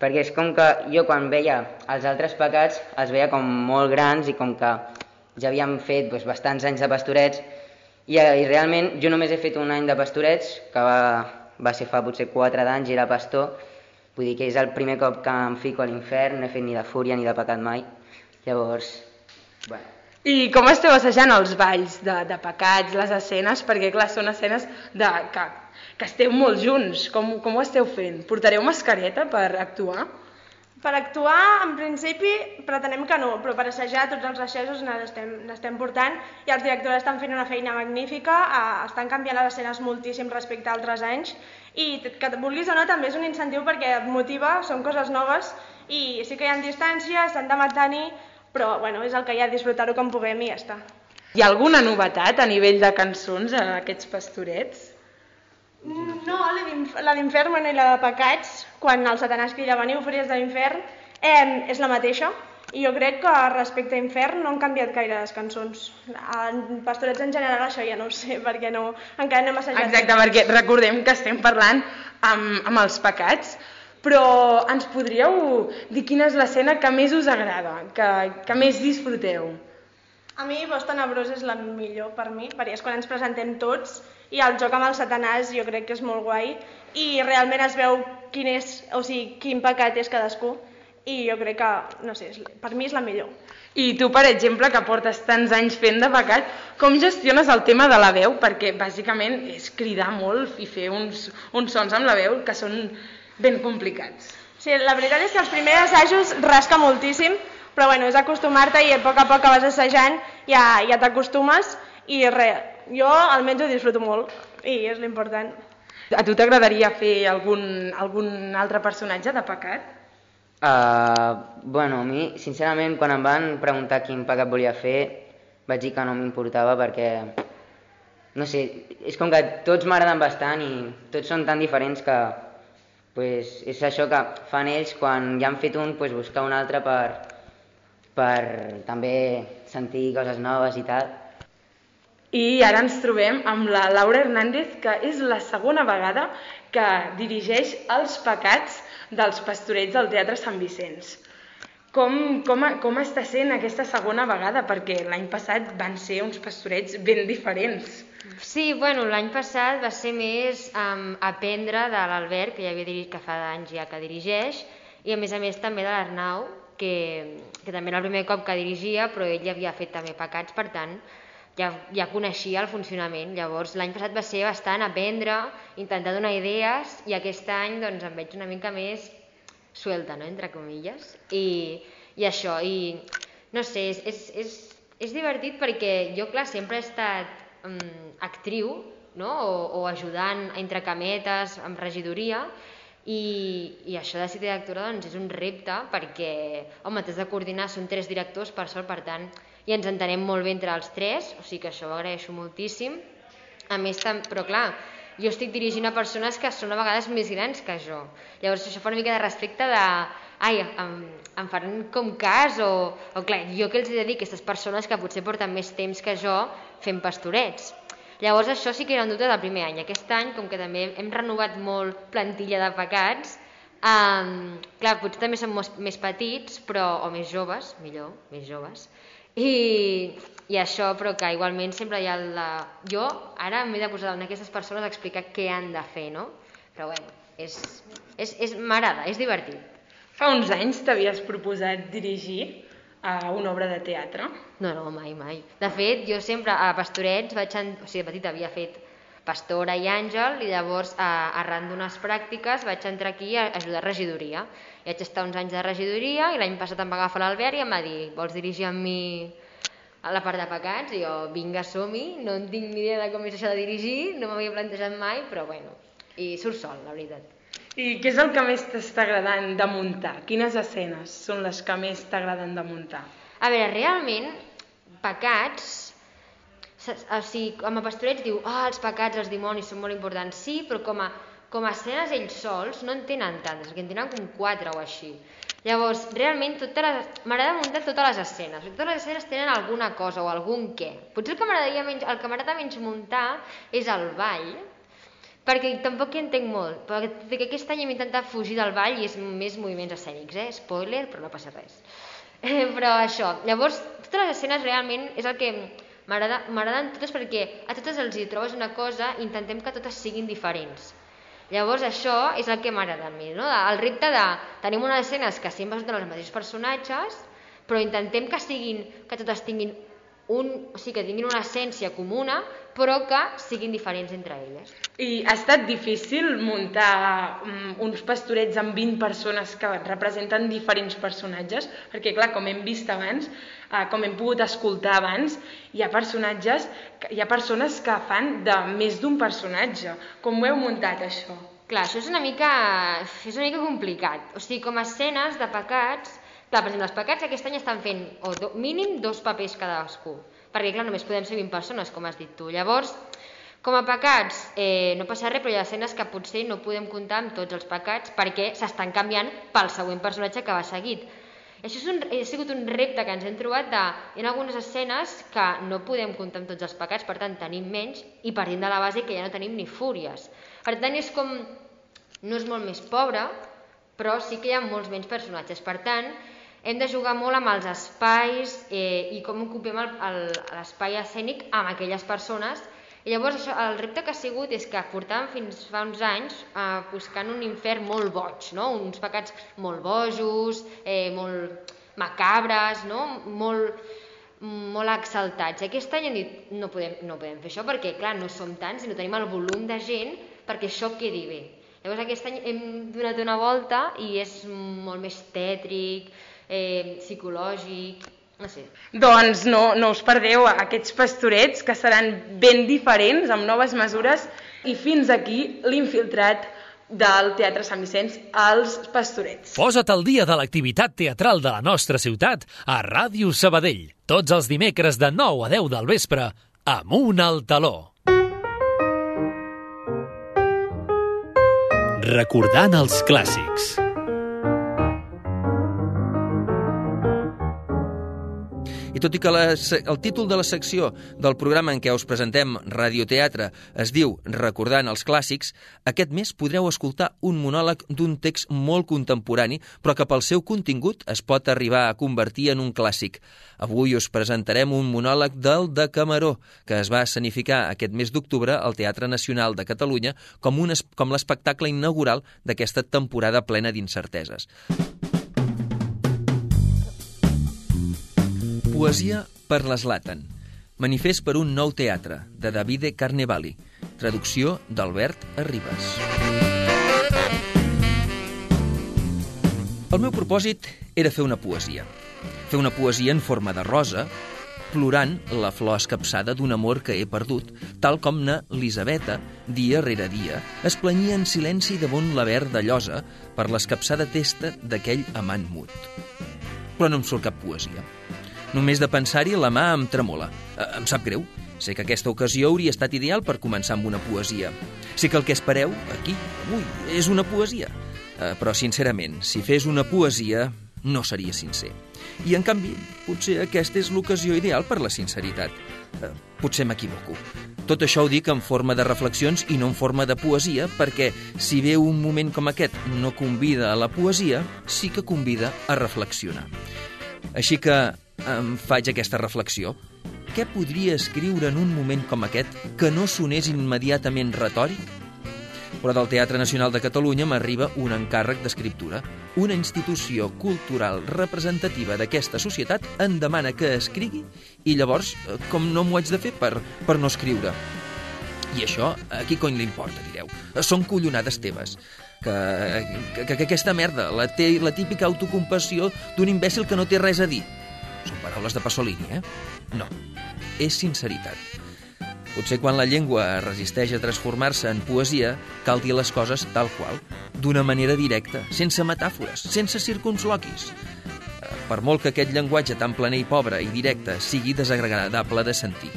perquè és com que jo quan veia els altres pecats els veia com molt grans i com que ja havíem fet bastants anys de pastorets i realment jo només he fet un any de pastorets, que va ser fa potser 4 d'anys i era pastor, vull dir que és el primer cop que em fico a l'infern, no he fet ni de fúria ni de pecat mai, llavors, bueno. I com esteu assajant els balls de pecats, les escenes? Perquè clar, són escenes que esteu molt junts, com ho esteu fent? Portareu mascareta per actuar? Per actuar, en principi, pretenem que no, però per assajar tots els assajos n'estem portant i els directors estan fent una feina magnífica, estan canviant les escenes moltíssim respecte a altres anys i que vulguis o no també és un incentiu perquè et motiva, són coses noves i sí que hi ha distància, estan de matar-hi, però bueno, és el que hi ha, disfrutar-ho com puguem i ja està. Hi ha alguna novetat a nivell de cançons a aquests pastorets? No, la d'infern i la de pecats, quan el Satanàs crida veniu fúries de l'infern, és la mateixa. I jo crec que respecte a infern no han canviat gaire les cançons. En pastorets en general això ja no ho sé, perquè encara no hem assajat. Exacte, perquè recordem que estem parlant amb els pecats, però ens podríeu dir quina és l'escena que més us agrada, que més disfruteu? A mi Voz Tenebrós és la millor per mi, perquè és quan ens presentem tots i el joc amb el Satanàs jo crec que és molt guai i realment es veu quin pecat és cadascú i jo crec que, no sé, per mi és la millor. I tu, per exemple, que portes tants anys fent de pecat, com gestiones el tema de la veu? Perquè bàsicament és cridar molt i fer uns sons amb la veu que són ben complicats. Sí, la veritat és que els primers assajos rasca moltíssim, però bueno, és acostumar-te i a poc que vas assajant ja t'acostumes i jo almenys ho disfruto molt i és l'important. A tu t'agradaria fer algun altre personatge de pecat? Bueno, a mi, sincerament, quan em van preguntar quin pecat volia fer, vaig dir que no m'importava perquè, no sé, és com que tots m'agraden bastant i tots són tan diferents que és això que fan ells quan ja han fet un, buscar un altre per també sentir coses noves i tal. I ara ens trobem amb la Laura Hernández, que és la segona vegada que dirigeix els pecats dels pastorets del Teatre Sant Vicenç. Com està sent aquesta segona vegada? Perquè l'any passat van ser uns pastorets ben diferents. Sí, bueno, l'any passat va ser més aprendre de l'Albert, que ja havia dirigit, que fa anys ja que dirigeix, i a més també de l'Arnau, que també era el primer cop que dirigia, però ell ja havia fet també pecats, per tant, ja coneixia el funcionament. Llavors l'any passat va ser bastant aprendre, intentar donar idees, i aquest any doncs em veig una mica més suelta, no? Entre comilles, i això, i no sé, és divertit perquè jo, clar, sempre he estat actriu, no? o ajudant entre cametes amb regidoria, i això de ser directora doncs, és un repte perquè, home, t'has de coordinar, són 3 directors per sort, per tant, i ens entenem molt bé entre els 3, o sigui que això ho agraeixo moltíssim. A més, però clar, jo estic dirigint a persones que són a vegades més grans que jo. Llavors això fa una mica de respecte de, em faran com cas, o clar, jo què els he de dir a aquestes persones que potser porten més temps que jo fent pastorets. Llavors això sí que era un dubte del primer any. Aquest any, com que també hem renovat molt plantilla de pecats, clar, potser també són més petits, o més joves, millor, més joves, i això, però que igualment sempre hi ha jo ara m'he de posar en aquestes persones a explicar què han de fer, no? Però bueno, m'agrada, és divertit. Fa uns anys t'havies proposat dirigir a una obra de teatre? No, mai. De fet, jo sempre a Pastorets, de petita havia fet Pastora i Àngel, i llavors arran d'unes pràctiques vaig entrar aquí a ajudar a regidoria. I vaig estar uns anys de regidoria i l'any passat em va agafar l'Albert i em va dir, vols dirigir amb mi a la part de pecats? I jo, vinga, som-hi, no en tinc ni idea de com és això de dirigir, no m'havia plantejat mai, però bueno, i surt sol, la veritat. I què és el que més t'està agradant de muntar? Quines escenes són les que més t'agraden de muntar? A veure, realment, pecats, o sigui, com a Pastorets diu, els pecats, els dimonis són molt importants, sí, però com a escenes ells sols no en tenen tantes, perquè en tenen com 4 o així. Llavors, realment, m'agrada muntar totes les escenes, perquè totes les escenes tenen alguna cosa o algun què. Potser el que m'agrada menys muntar és el ball, perquè tampoc hi entenc molt, perquè aquest any hem intentat fugir del ball i és més moviments escènics, spoiler, però no passa res. Però això, llavors, totes les escenes realment és el que m'agraden totes, perquè a totes els hi trobes una cosa i intentem que totes siguin diferents. Llavors això és el que m'agrada a mi, no? El repte de tenim unes escenes que sempre són els mateixos personatges, però intentem que totes tinguin que tinguin una essència comuna, però que siguin diferents entre elles. I ha estat difícil muntar uns pastorets amb 20 persones que representen diferents personatges? Perquè, clar, com hem vist abans, com hem pogut escoltar abans, hi ha persones que fan de més d'un personatge. Com ho heu muntat, això? Clar, això és una mica complicat. O sigui, com a escenes de pecats, Clar, per exemple, els pecats aquest any estan fent mínim 2 papers cadascú, perquè clar, només podem ser 20 persones, com has dit tu. Llavors, com a pecats no passa res, però hi ha escenes que potser no podem comptar amb tots els pecats perquè s'estan canviant pel següent personatge que va seguit. Això ha sigut un repte que ens hem trobat hi ha algunes escenes que no podem comptar amb tots els pecats, per tant tenim menys i partint de la base que ja no tenim ni fúries. Per tant és com, no és molt més pobre, però sí que hi ha molts menys personatges. Per tant, hem de jugar molt amb els espais i com ocupem l'espai escènic amb aquelles persones. I llavors el repte que ha sigut és que portàvem fins fa uns anys buscant un infern molt boig, no? Uns pecats molt bojos, molt macabres, no? molt exaltats. Aquest any hem dit no podem fer això perquè clar, no som tants i no tenim el volum de gent perquè això quedi bé. Llavors aquest any hem donat una volta i és molt més tètric, psicològic, no sé. Doncs no us perdeu aquests pastorets que seran ben diferents, amb noves mesures, i fins aquí l'Infiltrat del Teatre Sant Vicenç, els Pastorets. Posa't al dia de l'activitat teatral de la nostra ciutat a Ràdio Sabadell. Tots els dimecres de 9 a 10 del vespre, Amunt al Taló. Recordant els clàssics. I tot i que el títol de la secció del programa en què us presentem Radioteatre es diu Recordant els clàssics, aquest mes podreu escoltar un monòleg d'un text molt contemporani, però que pel seu contingut es pot arribar a convertir en un clàssic. Avui us presentarem un monòleg del Decameró, que es va escenificar aquest mes d'octubre al Teatre Nacional de Catalunya com l'espectacle inaugural d'aquesta temporada plena d'incerteses. Poesia per l'Zlatan. Manifest per un nou teatre, de Davide Carnevali. Traducció d'Albert Arribas. El meu propòsit era fer una poesia. Fer una poesia en forma de rosa, plorant la flor escapçada d'un amor que he perdut, tal com na Elisabeta, dia rere dia, es planyia en silenci damunt la verda llosa per l'escapçada testa d'aquell amant mut. Però no em surt cap poesia. Només de pensar-hi la mà em tremola. Em sap greu. Sé que aquesta ocasió hauria estat ideal per començar amb una poesia. Sé que el que espereu, aquí, avui, és una poesia. Però, sincerament, si fes una poesia, no seria sincer. I, en canvi, potser aquesta és l'ocasió ideal per la sinceritat. Potser m'equivoco. Tot això ho dic en forma de reflexions i no en forma de poesia, perquè si bé un moment com aquest no convida a la poesia, sí que convida a reflexionar. Així que em faig aquesta reflexió. Què podria escriure en un moment com aquest que no sonés immediatament retòric? Però del Teatre Nacional de Catalunya m'arriba un encàrrec d'escriptura. Una institució cultural representativa d'aquesta societat em demana que escrigui i llavors, com no m'ho haig de fer per no escriure? I això, a qui cony li importa, direu? Són collonades teves. Que aquesta merda, la típica autocompassió d'un imbècil que no té res a dir. Són paraules de Pasolini, No, és sinceritat. Potser quan la llengua es resisteix a transformar-se en poesia, cal dir les coses tal qual, d'una manera directa, sense metàfores, sense circunloquis. Per molt que aquest llenguatge tan planer i pobre i directe sigui desagradable de sentir.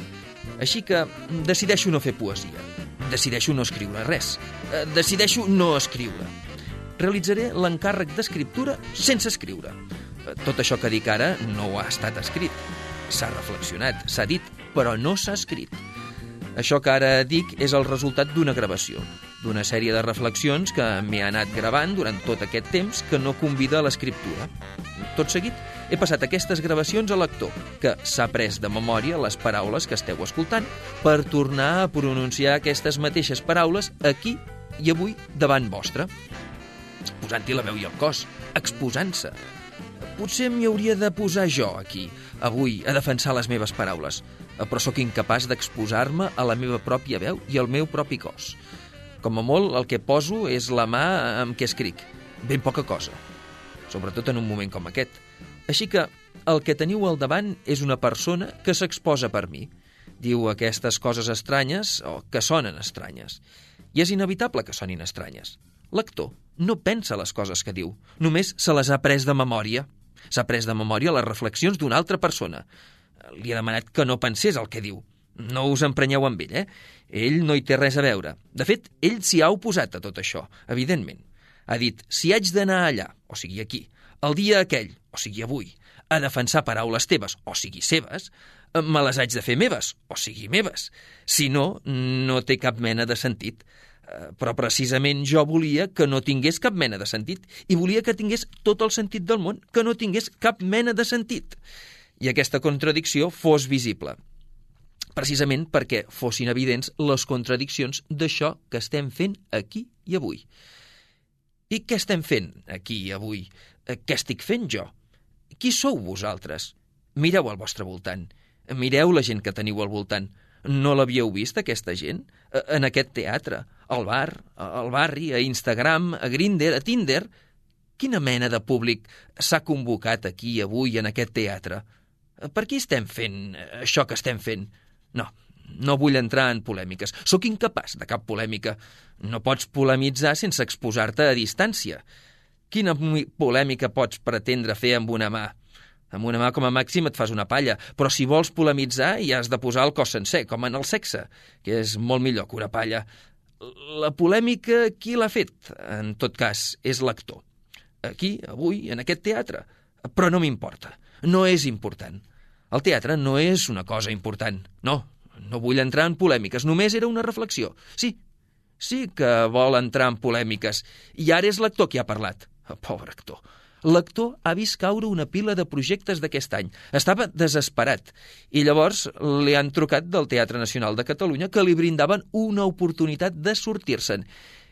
Així que decideixo no fer poesia. Decideixo no escriure res. Decideixo no escriure. Realitzaré l'encàrrec d'escriptura sense escriure. Tot això que dic ara no ha estat escrit. S'ha reflexionat, s'ha dit, però no s'ha escrit. Això que ara dic és el resultat d'una gravació, d'una sèrie de reflexions que m'he anat gravant durant tot aquest temps que no convida a l'escriptura. Tot seguit, he passat aquestes gravacions a l'actor, que s'ha pres de memòria les paraules que esteu escoltant per tornar a pronunciar aquestes mateixes paraules aquí i avui davant vostre. Posant-hi la veu i el cos, exposant-se. Potser m'hi hauria de posar jo aquí, avui, a defensar les meves paraules, però sóc incapaç d'exposar-me a la meva pròpia veu i al meu propi cos. Com a molt, el que poso és la mà amb què escric. Ben poca cosa. Sobretot en un moment com aquest. Així que el que teniu al davant és una persona que s'exposa per mi. Diu aquestes coses estranyes o que sonen estranyes. I és inevitable que sonin estranyes. L'actor no pensa les coses que diu, només se les ha pres de memòria. S'ha pres de memòria les reflexions d'una altra persona. Li ha demanat que no pensés el que diu. No us emprenyeu amb ell, Ell no hi té res a veure. De fet, ell s'hi ha oposat a tot això, evidentment. Ha dit, si haig d'anar allà, o sigui aquí, el dia aquell, o sigui avui, a defensar paraules teves, o sigui seves, me les haig de fer meves, o sigui meves. Si no, no té cap mena de sentit. Però precisament jo volia que no tingués cap mena de sentit i volia que tingués tot el sentit del món, que no tingués cap mena de sentit. I aquesta contradicció fos visible. Precisament perquè fossin evidents les contradiccions d'això que estem fent aquí i avui. I què estem fent aquí i avui? Què estic fent jo? Qui sou vosaltres? Mireu al vostre voltant. Mireu la gent que teniu al voltant. No l'havíeu vist, aquesta gent? En aquest teatre, al bar, al barri, a Instagram, a Grindr, a Tinder? Quina mena de públic s'ha convocat aquí avui en aquest teatre? Per què estem fent això que estem fent? No vull entrar en polèmiques. Sóc incapaç de cap polèmica. No pots polemitzar sense exposar-te a distància. Quina polèmica pots pretendre fer amb una mà? Amb una mà com a màxim et fas una palla, però si vols polemitzar hi has de posar el cos sencer, com en el sexe, que és molt millor que una palla. La polèmica, qui l'ha fet? En tot cas, és l'actor. Aquí, avui, en aquest teatre. Però no m'importa. No és important. El teatre no és una cosa important. No vull entrar en polèmiques. Només era una reflexió. Sí que vol entrar en polèmiques. I ara és l'actor qui ha parlat. Pobre actor. L'actor ha vist caure una pila de projectes d'aquest any. Estava desesperat. I llavors li han trucat del Teatre Nacional de Catalunya que li brindaven una oportunitat de sortir-se'n.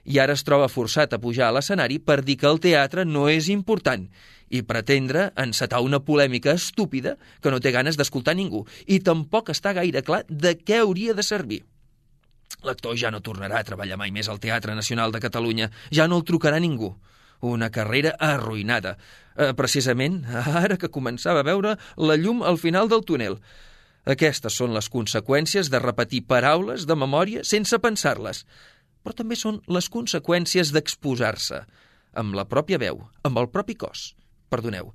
I ara es troba forçat a pujar a l'escenari per dir que el teatre no és important i pretendre encetar una polèmica estúpida que no té ganes d'escoltar ningú i tampoc està gaire clar de què hauria de servir. L'actor ja no tornarà a treballar mai més al Teatre Nacional de Catalunya. Ja no el trucarà ningú. Una carrera arruïnada. Precisament ara que començava a veure la llum al final del túnel. Aquestes són les conseqüències de repetir paraules de memòria sense pensar-les. Però també són les conseqüències d'exposar-se, amb la pròpia veu, amb el propi cos. Perdoneu,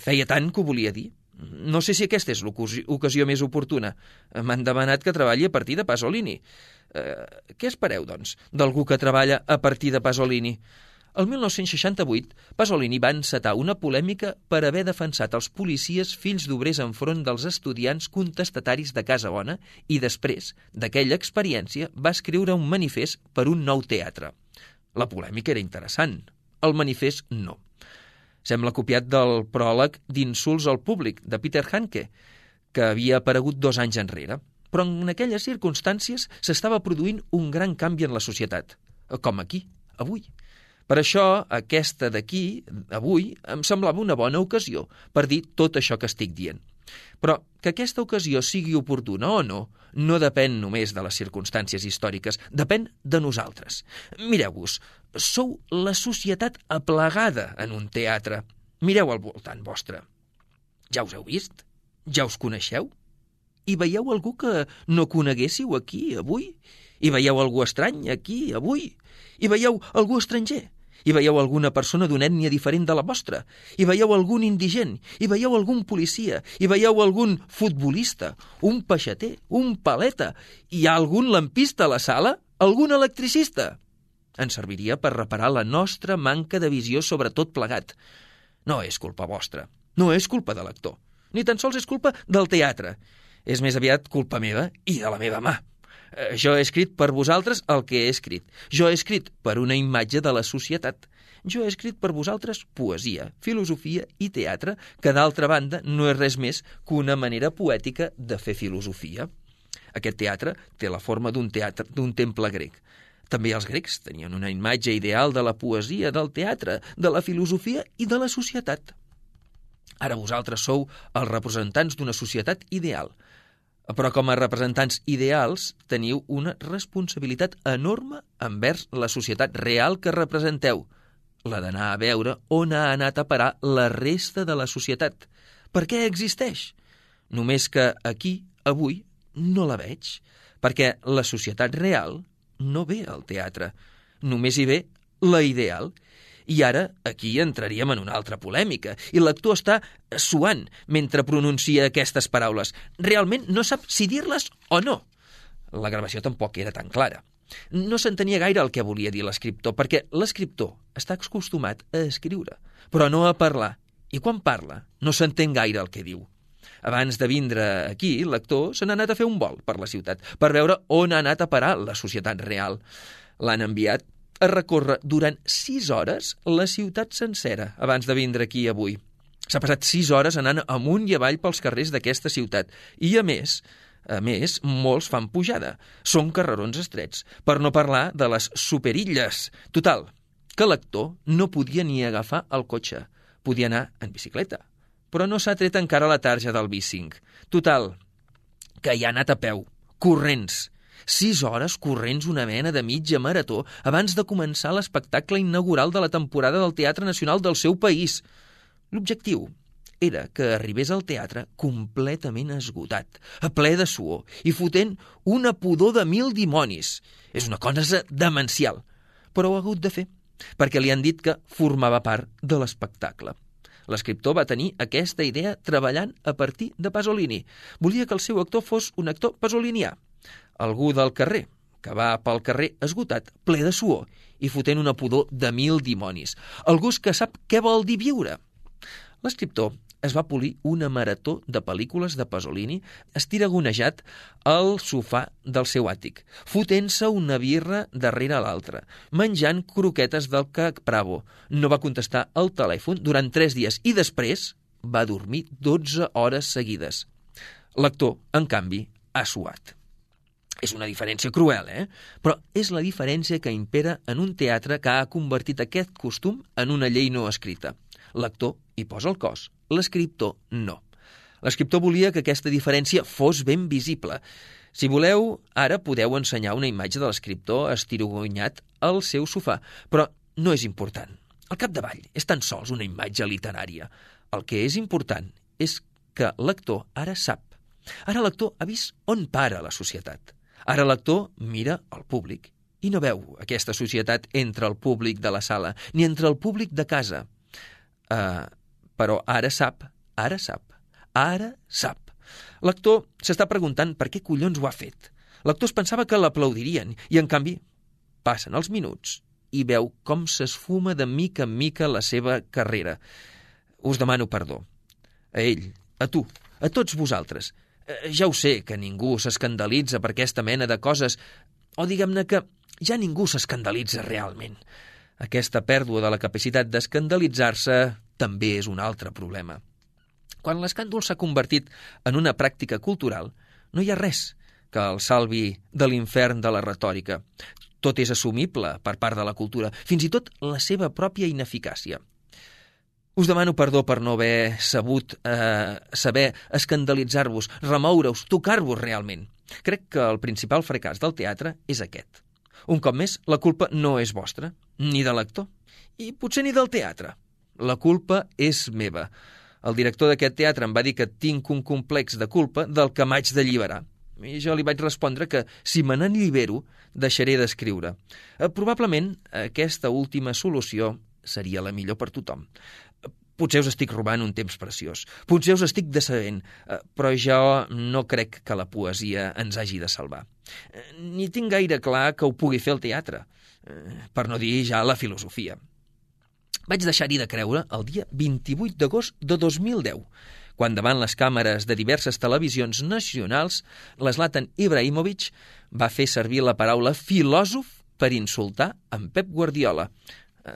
feia tant que ho volia dir. No sé si aquesta és l'ocasió més oportuna. M'han demanat que treballi a partir de Pasolini. Què espereu, doncs, d'algú que treballa a partir de Pasolini? El 1968, Pasolini va encetar una polèmica per haver defensat els policies fills d'obrers enfront dels estudiants contestataris de Casa Bona i després d'aquella experiència va escriure un manifest per un nou teatre. La polèmica era interessant, el manifest no. Sembla copiat del pròleg d'Insults al públic, de Peter Handke, que havia aparegut 2 anys enrere. Però en aquelles circumstàncies s'estava produint un gran canvi en la societat, com aquí, avui. Per això, aquesta d'aquí, avui, em semblava una bona ocasió per dir tot això que estic dient. Però que aquesta ocasió sigui oportuna o no, no depèn només de les circumstàncies històriques, depèn de nosaltres. Mireu-vos, sou la societat aplegada en un teatre. Mireu al voltant vostre. Ja us heu vist? Ja us coneixeu? I veieu algú que no coneguéssiu aquí, avui? I veieu algú estrany aquí, avui? I veieu algú estranger? I veieu alguna persona d'una ètnia diferent de la vostra? I veieu algun indigent? I veieu algun policia? I veieu algun futbolista? Un peixater? Un paleta? Hi ha algun lampista a la sala? Algun electricista? Ens serviria per reparar la nostra manca de visió sobre tot plegat. No és culpa vostra. No és culpa de l'actor. Ni tan sols és culpa del teatre. És més aviat culpa meva i de la meva mà. Jo he escrit per vosaltres el que he escrit. Jo he escrit per una imatge de la societat. Jo he escrit per vosaltres poesia, filosofia i teatre, que d'altra banda no és res més que una manera poètica de fer filosofia. Aquest teatre té la forma d'un temple grec. També els grecs tenien una imatge ideal de la poesia, del teatre, de la filosofia i de la societat. Ara vosaltres sou els representants d'una societat ideal. Però com a representants ideals teniu una responsabilitat enorme envers la societat real que representeu, la d'anar a veure on ha anat a parar la resta de la societat. Per què existeix? Només que aquí, avui, no la veig, perquè la societat real no ve al teatre. Només hi ve la ideal. I ara aquí entraríem en una altra polèmica, i l'actor està suant mentre pronuncia aquestes paraules. Realment no sap si dir-les o no. La gravació tampoc era tan clara. No s'entenia gaire el que volia dir l'escriptor, perquè l'escriptor està acostumat a escriure, però no a parlar, i quan parla no s'entén gaire el que diu. Abans de vindre aquí, l'actor se n'ha anat a fer un vol per la ciutat, per veure on ha anat a parar la societat real. L'han enviat a recórrer durant 6 hores la ciutat sencera abans de vindre aquí avui. S'ha passat 6 hores anant amunt i avall pels carrers d'aquesta ciutat, i a més, molts fan pujada. Són carrerons estrets, per no parlar de les superilles. Total, que l'actor no podia ni agafar el cotxe. Podia anar en bicicleta, però no s'ha tret encara la tarja del B5. Total, que hi ha anat a peu, corrents. 6 hores corrents, una mena de mitja marató, abans de començar l'espectacle inaugural de la temporada del Teatre Nacional del seu país. L'objectiu era que arribés al teatre completament esgotat, a ple de suor i fotent una pudor de 1000 dimonis. És una cosa demencial, però ho ha hagut de fer, perquè li han dit que formava part de l'espectacle. L'escriptor va tenir aquesta idea treballant a partir de Pasolini. Volia que el seu actor fos un actor pasolinià, algú del carrer, que va pel carrer esgotat, ple de suor i fotent una pudor de 1000 dimonis. Algú que sap què vol dir viure. L'escriptor es va polir una marató de pel·lícules de Pasolini estiragonejat al sofà del seu àtic, fotent-se una birra darrere l'altra, menjant croquetes del Cac Bravo. No va contestar al telèfon durant 3 dies i després va dormir 12 hores seguides. L'actor, en canvi, ha suat. És una diferència cruel, Però és la diferència que impera en un teatre que ha convertit aquest costum en una llei no escrita. L'actor hi posa el cos, l'escriptor no. L'escriptor volia que aquesta diferència fos ben visible. Si voleu, ara podeu ensenyar una imatge de l'escriptor estirogonyat al seu sofà, però no és important. Al capdavall és tan sols una imatge literària. El que és important és que l'actor ara sap. Ara l'actor ha vist on para la societat. Ara l'actor mira el públic i no veu aquesta societat entre el públic de la sala, ni entre el públic de casa. Però ara sap. L'actor s'està preguntant per què collons ho ha fet. L'actor es pensava que l'aplaudirien i, en canvi, passen els minuts i veu com s'esfuma de mica en mica la seva carrera. Us demano perdó. A ell, a tu, a tots vosaltres. Ja ho sé que ningú s'escandalitza per aquesta mena de coses, o diguem-ne que ja ningú s'escandalitza realment. Aquesta pèrdua de la capacitat d'escandalitzar-se també és un altre problema. Quan l'escàndol s'ha convertit en una pràctica cultural, no hi ha res que el salvi de l'infern de la retòrica. Tot és assumible per part de la cultura, fins i tot la seva pròpia ineficàcia. Us demano perdó per no haver sabut saber escandalitzar-vos, remoure-us, tocar-vos realment. Crec que el principal fracàs del teatre és aquest. Un cop més, la culpa no és vostra, ni de l'actor, i potser ni del teatre. La culpa és meva. El director d'aquest teatre em va dir que tinc un complex de culpa del que m'haig d'alliberar. I jo li vaig respondre que si me n'allibero, deixaré d'escriure. Probablement aquesta última solució seria la millor per tothom. Potser us estic robant un temps preciós, potser us estic decebent, però jo no crec que la poesia ens hagi de salvar. Ni tinc gaire clar que ho pugui fer el teatre, per no dir ja la filosofia. Vaig deixar-hi de creure el dia 28 d'agost de 2010, quan davant les càmeres de diverses televisions nacionals, l'Zlatan Ibrahimovic va fer servir la paraula filòsof per insultar en Pep Guardiola,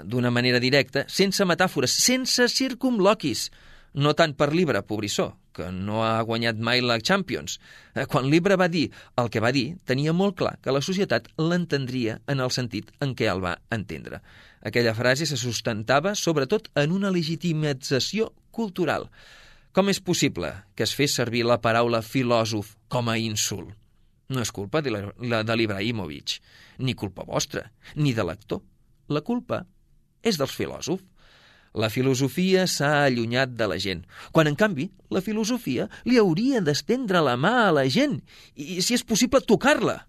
d'una manera directa, sense metàfores, sense circumloquis, no tant per l'Ibra, pobrissó, que no ha guanyat mai la Champions. Quan l'Ibra va dir el que va dir, tenia molt clar que la societat l'entendria en el sentit en què el va entendre. Aquella frase se sustentava sobretot en una legitimització cultural. Com és possible que es fes servir la paraula filòsof com a insult? No és culpa de l'Ibrahimovic, ni culpa vostra, ni de l'actor. La culpa és dels filòsofs. La filosofia s'ha allunyat de la gent, quan, en canvi, la filosofia li hauria d'estendre la mà a la gent i, si és possible, tocar-la.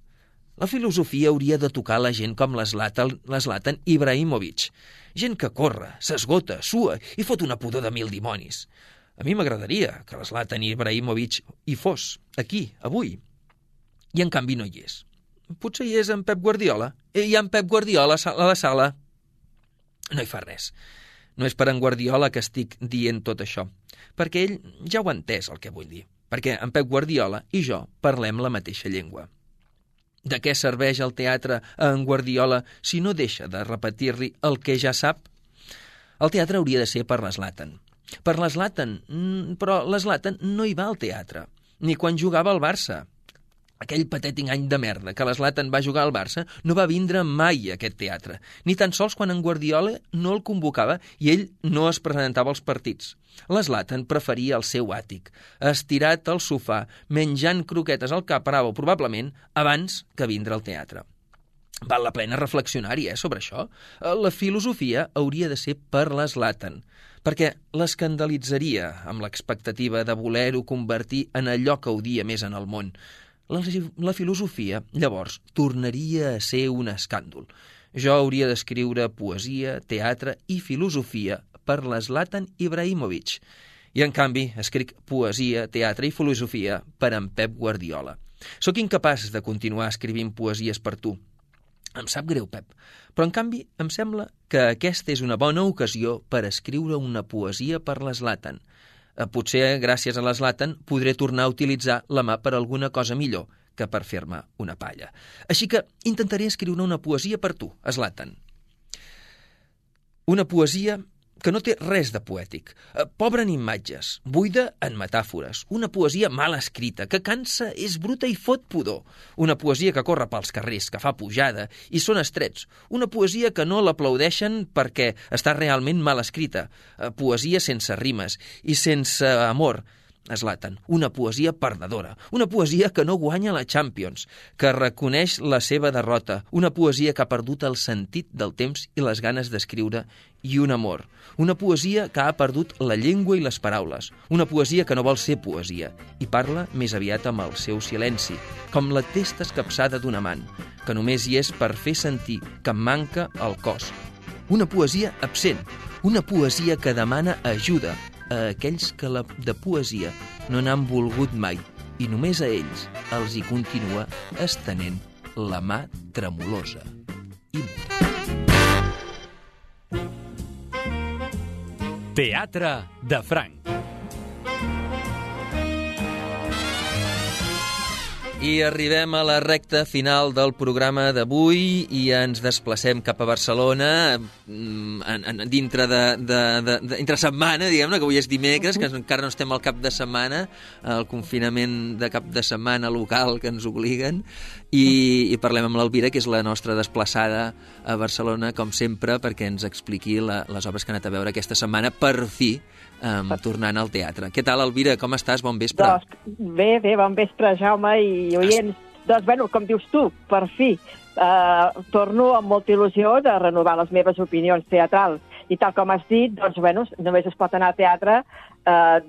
La filosofia hauria de tocar la gent com l'Zlatan Ibrahimovic. Gent que corre, s'esgota, sua i fot una pudor de 1000 dimonis. A mi m'agradaria que l'Zlatan Ibrahimovic hi fos, aquí, avui. I en canvi no hi és. Potser hi és en Pep Guardiola. Hi ha en Pep Guardiola a la sala. No hi fa res. No és per en Guardiola que estic dient tot això, perquè ell ja ho ha entès el que vull dir, perquè en Pep Guardiola i jo parlem la mateixa llengua. De què serveix el teatre a en Guardiola si no deixa de repetir-li el que ja sap? El teatre hauria de ser per l'Zlatan. Per l'Zlatan, però l'Zlatan no hi va al teatre, ni quan jugava al Barça. Aquell patètic any de merda que l'Zlatan va jugar al Barça no va vindre mai a aquest teatre, ni tan sols quan en Guardiola no el convocava i ell no es presentava als partits. L'Zlatan preferia el seu àtic, estirat al sofà, menjant croquetes al Capravo, probablement, abans que vindre al teatre. Val la pena reflexionar-hi, sobre això. La filosofia hauria de ser per l'Zlatan, perquè l'escandalitzaria amb l'expectativa de voler-ho convertir en allò que odia més en el món. La filosofia, llavors, tornaria a ser un escàndol. Jo hauria d'escriure poesia, teatre i filosofia per l'Zlatan Ibrahimovic. I, en canvi, escric poesia, teatre i filosofia per en Pep Guardiola. Sóc incapaç de continuar escrivint poesies per tu. Em sap greu, Pep, però, en canvi, em sembla que aquesta és una bona ocasió per escriure una poesia per l'Zlatan. Potser, gràcies a l'Zlatan, podré tornar a utilitzar la mà per alguna cosa millor que per fer-me una palla. Així que intentaré escriure una poesia per tu, Zlatan. Una poesia que no té res de poètic, pobra en imatges, buida en metàfores, una poesia mal escrita, que cansa, és bruta i fot pudor, una poesia que corre pels carrers, que fa pujada i són estrets, una poesia que no l'aplaudeixen perquè està realment mal escrita, poesia sense rimes i sense amor, Zlatan, una poesia perdedora, una poesia que no guanya la Champions, que reconeix la seva derrota, una poesia que ha perdut el sentit del temps i les ganes d'escriure i un amor, una poesia que ha perdut la llengua i les paraules, una poesia que no vol ser poesia i parla més aviat amb el seu silenci, com la testa escapçada d'un amant, que només hi és per fer sentir que em manca el cos. Una poesia absent, una poesia que demana ajuda a aquells que de poesia no n'han volgut mai i només a ells els hi continua estenent la mà tremolosa i muda. Teatre de Franc. I arribem a la recta final del programa d'avui i ens desplacem cap a Barcelona dintre entre setmana, diguem-ne, que avui és dimecres, que encara no estem al cap de setmana, el confinament de cap de setmana local que ens obliguen, i parlem amb l'Elvira, que és la nostra desplaçada a Barcelona, com sempre, perquè ens expliqui les obres que ha anat a veure aquesta setmana, per fi, tornant al teatre. Què tal, Elvira? Com estàs? Bon vespre. Bé, bon vespre, Jaume i oients. Doncs, com dius tu, per fi, torno amb molta il·lusió de renovar les meves opinions teatrals. I tal com has dit, només es pot anar a teatre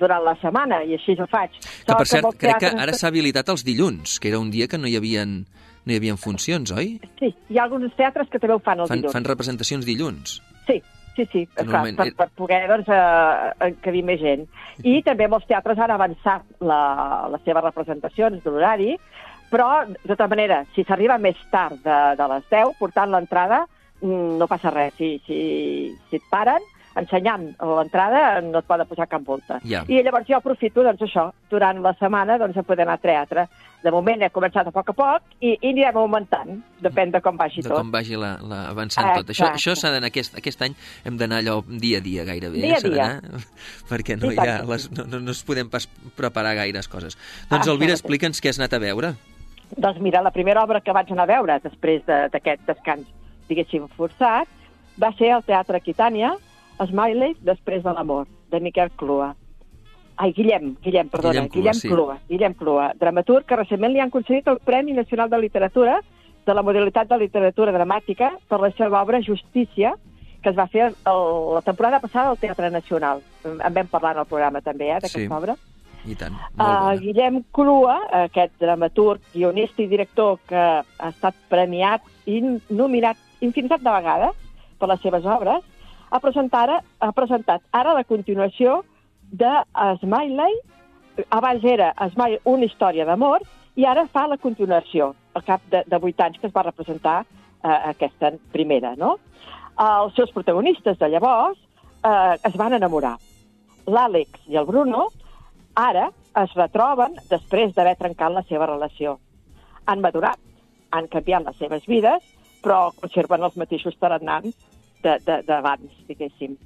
durant la setmana, i així ho faig. Que, per cert, crec que ara s'ha habilitat els dilluns, que era un dia que no hi havia funcions, oi? Sí, hi ha alguns teatres que també ho fan els dilluns. Fan representacions dilluns. Sí, clar, per poder encabir més gent. I també molts teatres han avançat les seves representacions de l'horari, però, de tota manera, si s'arriba més tard de les 10, portant l'entrada, no passa res. Si et paren, ensenyant l'entrada, no et poden posar cap multa. Yeah. I llavors jo aprofito, això, durant la setmana, a poder anar a teatre. De moment he començat a poc i anirem augmentant, depèn de com vagi tot. De com vagi avançant tot. Això s'ha d'anar, aquest any hem d'anar allò dia a dia gairebé. Dia a dia. Perquè no es podem pas preparar gaires coses. Doncs, Elvira, explica'ns què has anat a veure. Doncs mira, la primera obra que vaig anar a veure després d'aquest descans, diguéssim, forçat, va ser al Teatre Aquitània, Smiley, després de l'amor, de Miquel Clua. Guillem Clua, dramaturg que recentment li han concedit el Premi Nacional de Literatura de la modalitat de literatura dramàtica per la seva obra Justícia, que es va fer la temporada passada al Teatre Nacional. En vam parlar en el programa també, d'aquesta obra. I tant, molt bona. Guillem Clua, aquest dramaturg, guionista i director que ha estat premiat i nominat infinitat de vegades per les seves obres, ha presentat ara la continuació de Smiley. Abans era Smiley, una història d'amor, i ara fa la continuació, al cap de 8 anys que es va representar aquesta primera, no? Els seus protagonistes de llavors es van enamorar. L'Àlex i el Bruno ara es retroben després d'haver trencat la seva relació. Han madurat, han canviat les seves vides, però conserven els mateixos tarannants d'abans, diguéssim.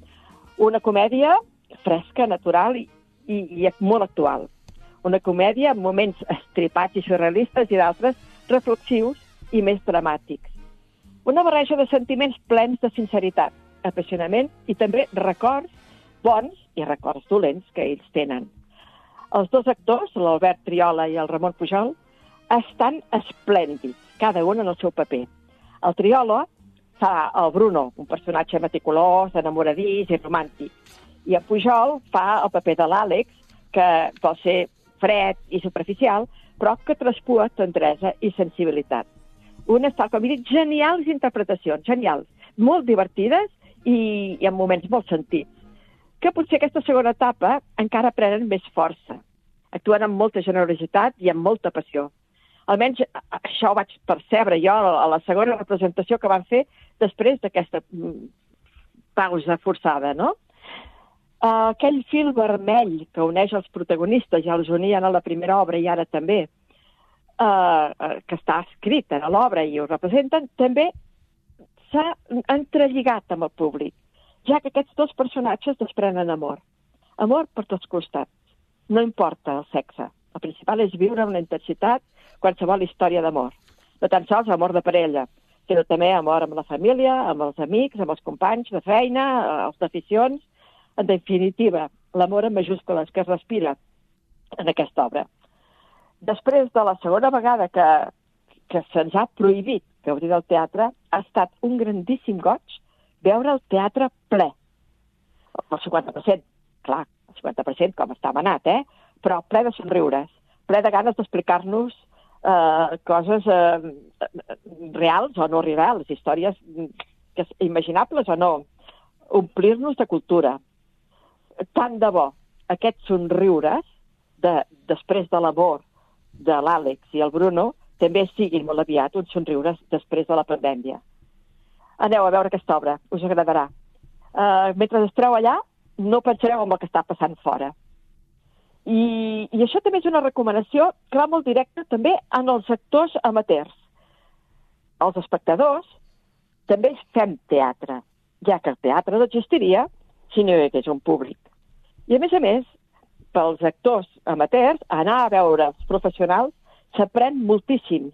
Una comèdia fresca, natural i molt actual. Una comèdia amb moments estripats i surrealistes i d'altres reflexius i més dramàtics. Una barreja de sentiments plens de sinceritat, apassionament i també records bons i records dolents que ells tenen. Els dos actors, l'Albert Triola i el Ramon Pujol, estan esplèndids, cada un en el seu paper. El Triola fa el Bruno, un personatge meticulós, enamoradís i romàntic. I el Pujol fa el paper de l'Àlex, que vol ser fred i superficial, però que traspua tendresa i sensibilitat. Unes, tal com he dit, genials interpretacions, genials, molt divertides i amb moments molt sentits, que potser aquesta segona etapa encara prenen més força. Actuen amb molta generositat i amb molta passió. Almenys això ho vaig percebre jo a la segona representació que van fer després d'aquesta pausa forçada, no? Aquell fil vermell que uneix els protagonistes, ja els unien a la primera obra i ara també, que està escrit a l'obra i ho representen, també s'ha entrelligat amb el públic, ja que aquests dos personatges desprenen amor. Amor per tots costats. No importa el sexe. El principal és viure amb la intensitat qualsevol història d'amor. No tan sols amor de parella, sinó també amor amb la família, amb els amics, amb els companys de feina, els d'aficions. En definitiva, l'amor en majúscules que es respira en aquesta obra. Després de la segona vegada que se'ns ha prohibit gaudir del teatre, ha estat un grandíssim goig veure el teatre ple. El 50%, clar, el 50% com està manat, però ple de somriures, ple de ganes d'explicar-nos coses reals o no reals, històries imaginables o no, omplir-nos de cultura. Tant de bo aquests somriures després de l'amor de l'Àlex i el Bruno també siguin molt aviat uns somriures després de la pandèmia. Aneu a veure aquesta obra, us agradarà. Mentre esteu allà, no pensareu en el que està passant fora. I això també és una recomanació que va molt directa també en els actors amateurs. Els espectadors també fem teatre, ja que el teatre no existiria si no hi hagués un públic. I a més, pels actors amateurs, anar a veure els professionals s'aprèn moltíssim,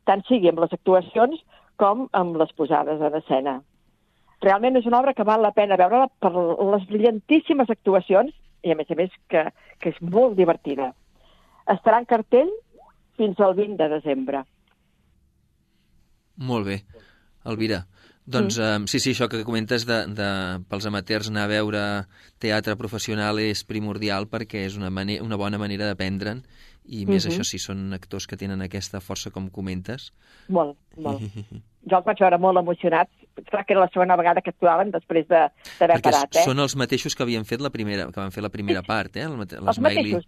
tant sigui amb les actuacions com amb les posades en escena. Realment és una obra que val la pena veure-la per les brillantíssimes actuacions i a més que és molt divertida. Estarà en cartell fins al 20 de desembre. Molt bé. Elvira, doncs sí, això que comentes pels amateurs anar a veure teatre professional és primordial perquè és una bona manera d'aprendre'n i més això si són actors que tenen aquesta força com comentes. Molt. Jo els vaig veure molt emocionats. Clar que era la segona vegada que actuaven després d'haver parat. Perquè són els mateixos que havien fet que van fer la primera part, els mateixos.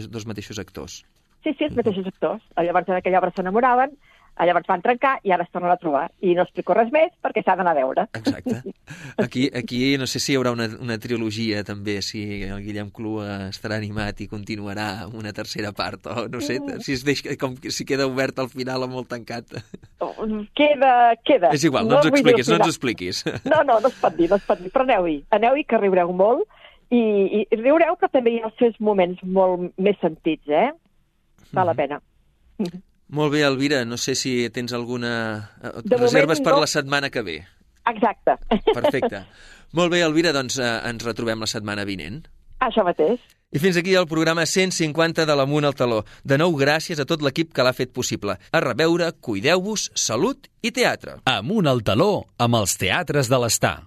Dos mateixos actors. Sí, els mateixos actors. Llavors en aquella obra s'enamoraven, llavors van trencar i ara es tornen a trobar. I no explico res més perquè s'ha d'anar a veure. Exacte. Aquí no sé si hi haurà una trilogia també, si el Guillem Clua estarà animat i continuarà amb una tercera part, o no sé, si queda obert al final o molt tancat. Queda. És igual, no ens expliquis. No es pot dir, però aneu-hi que riureu molt i riureu, però també hi ha els seus moments molt més sentits, Val la pena. Molt bé, Elvira, no sé si tens alguna reserves per la setmana que ve. Exacte. Perfecte. Molt bé, Elvira, doncs ens retrobem la setmana vinent. Això mateix. I fins aquí el programa 150 de l'Amunt al Taló. De nou, gràcies a tot l'equip que l'ha fet possible. A reveure, cuideu-vos, salut i teatre. Amunt al Taló amb els teatres de l'Estar.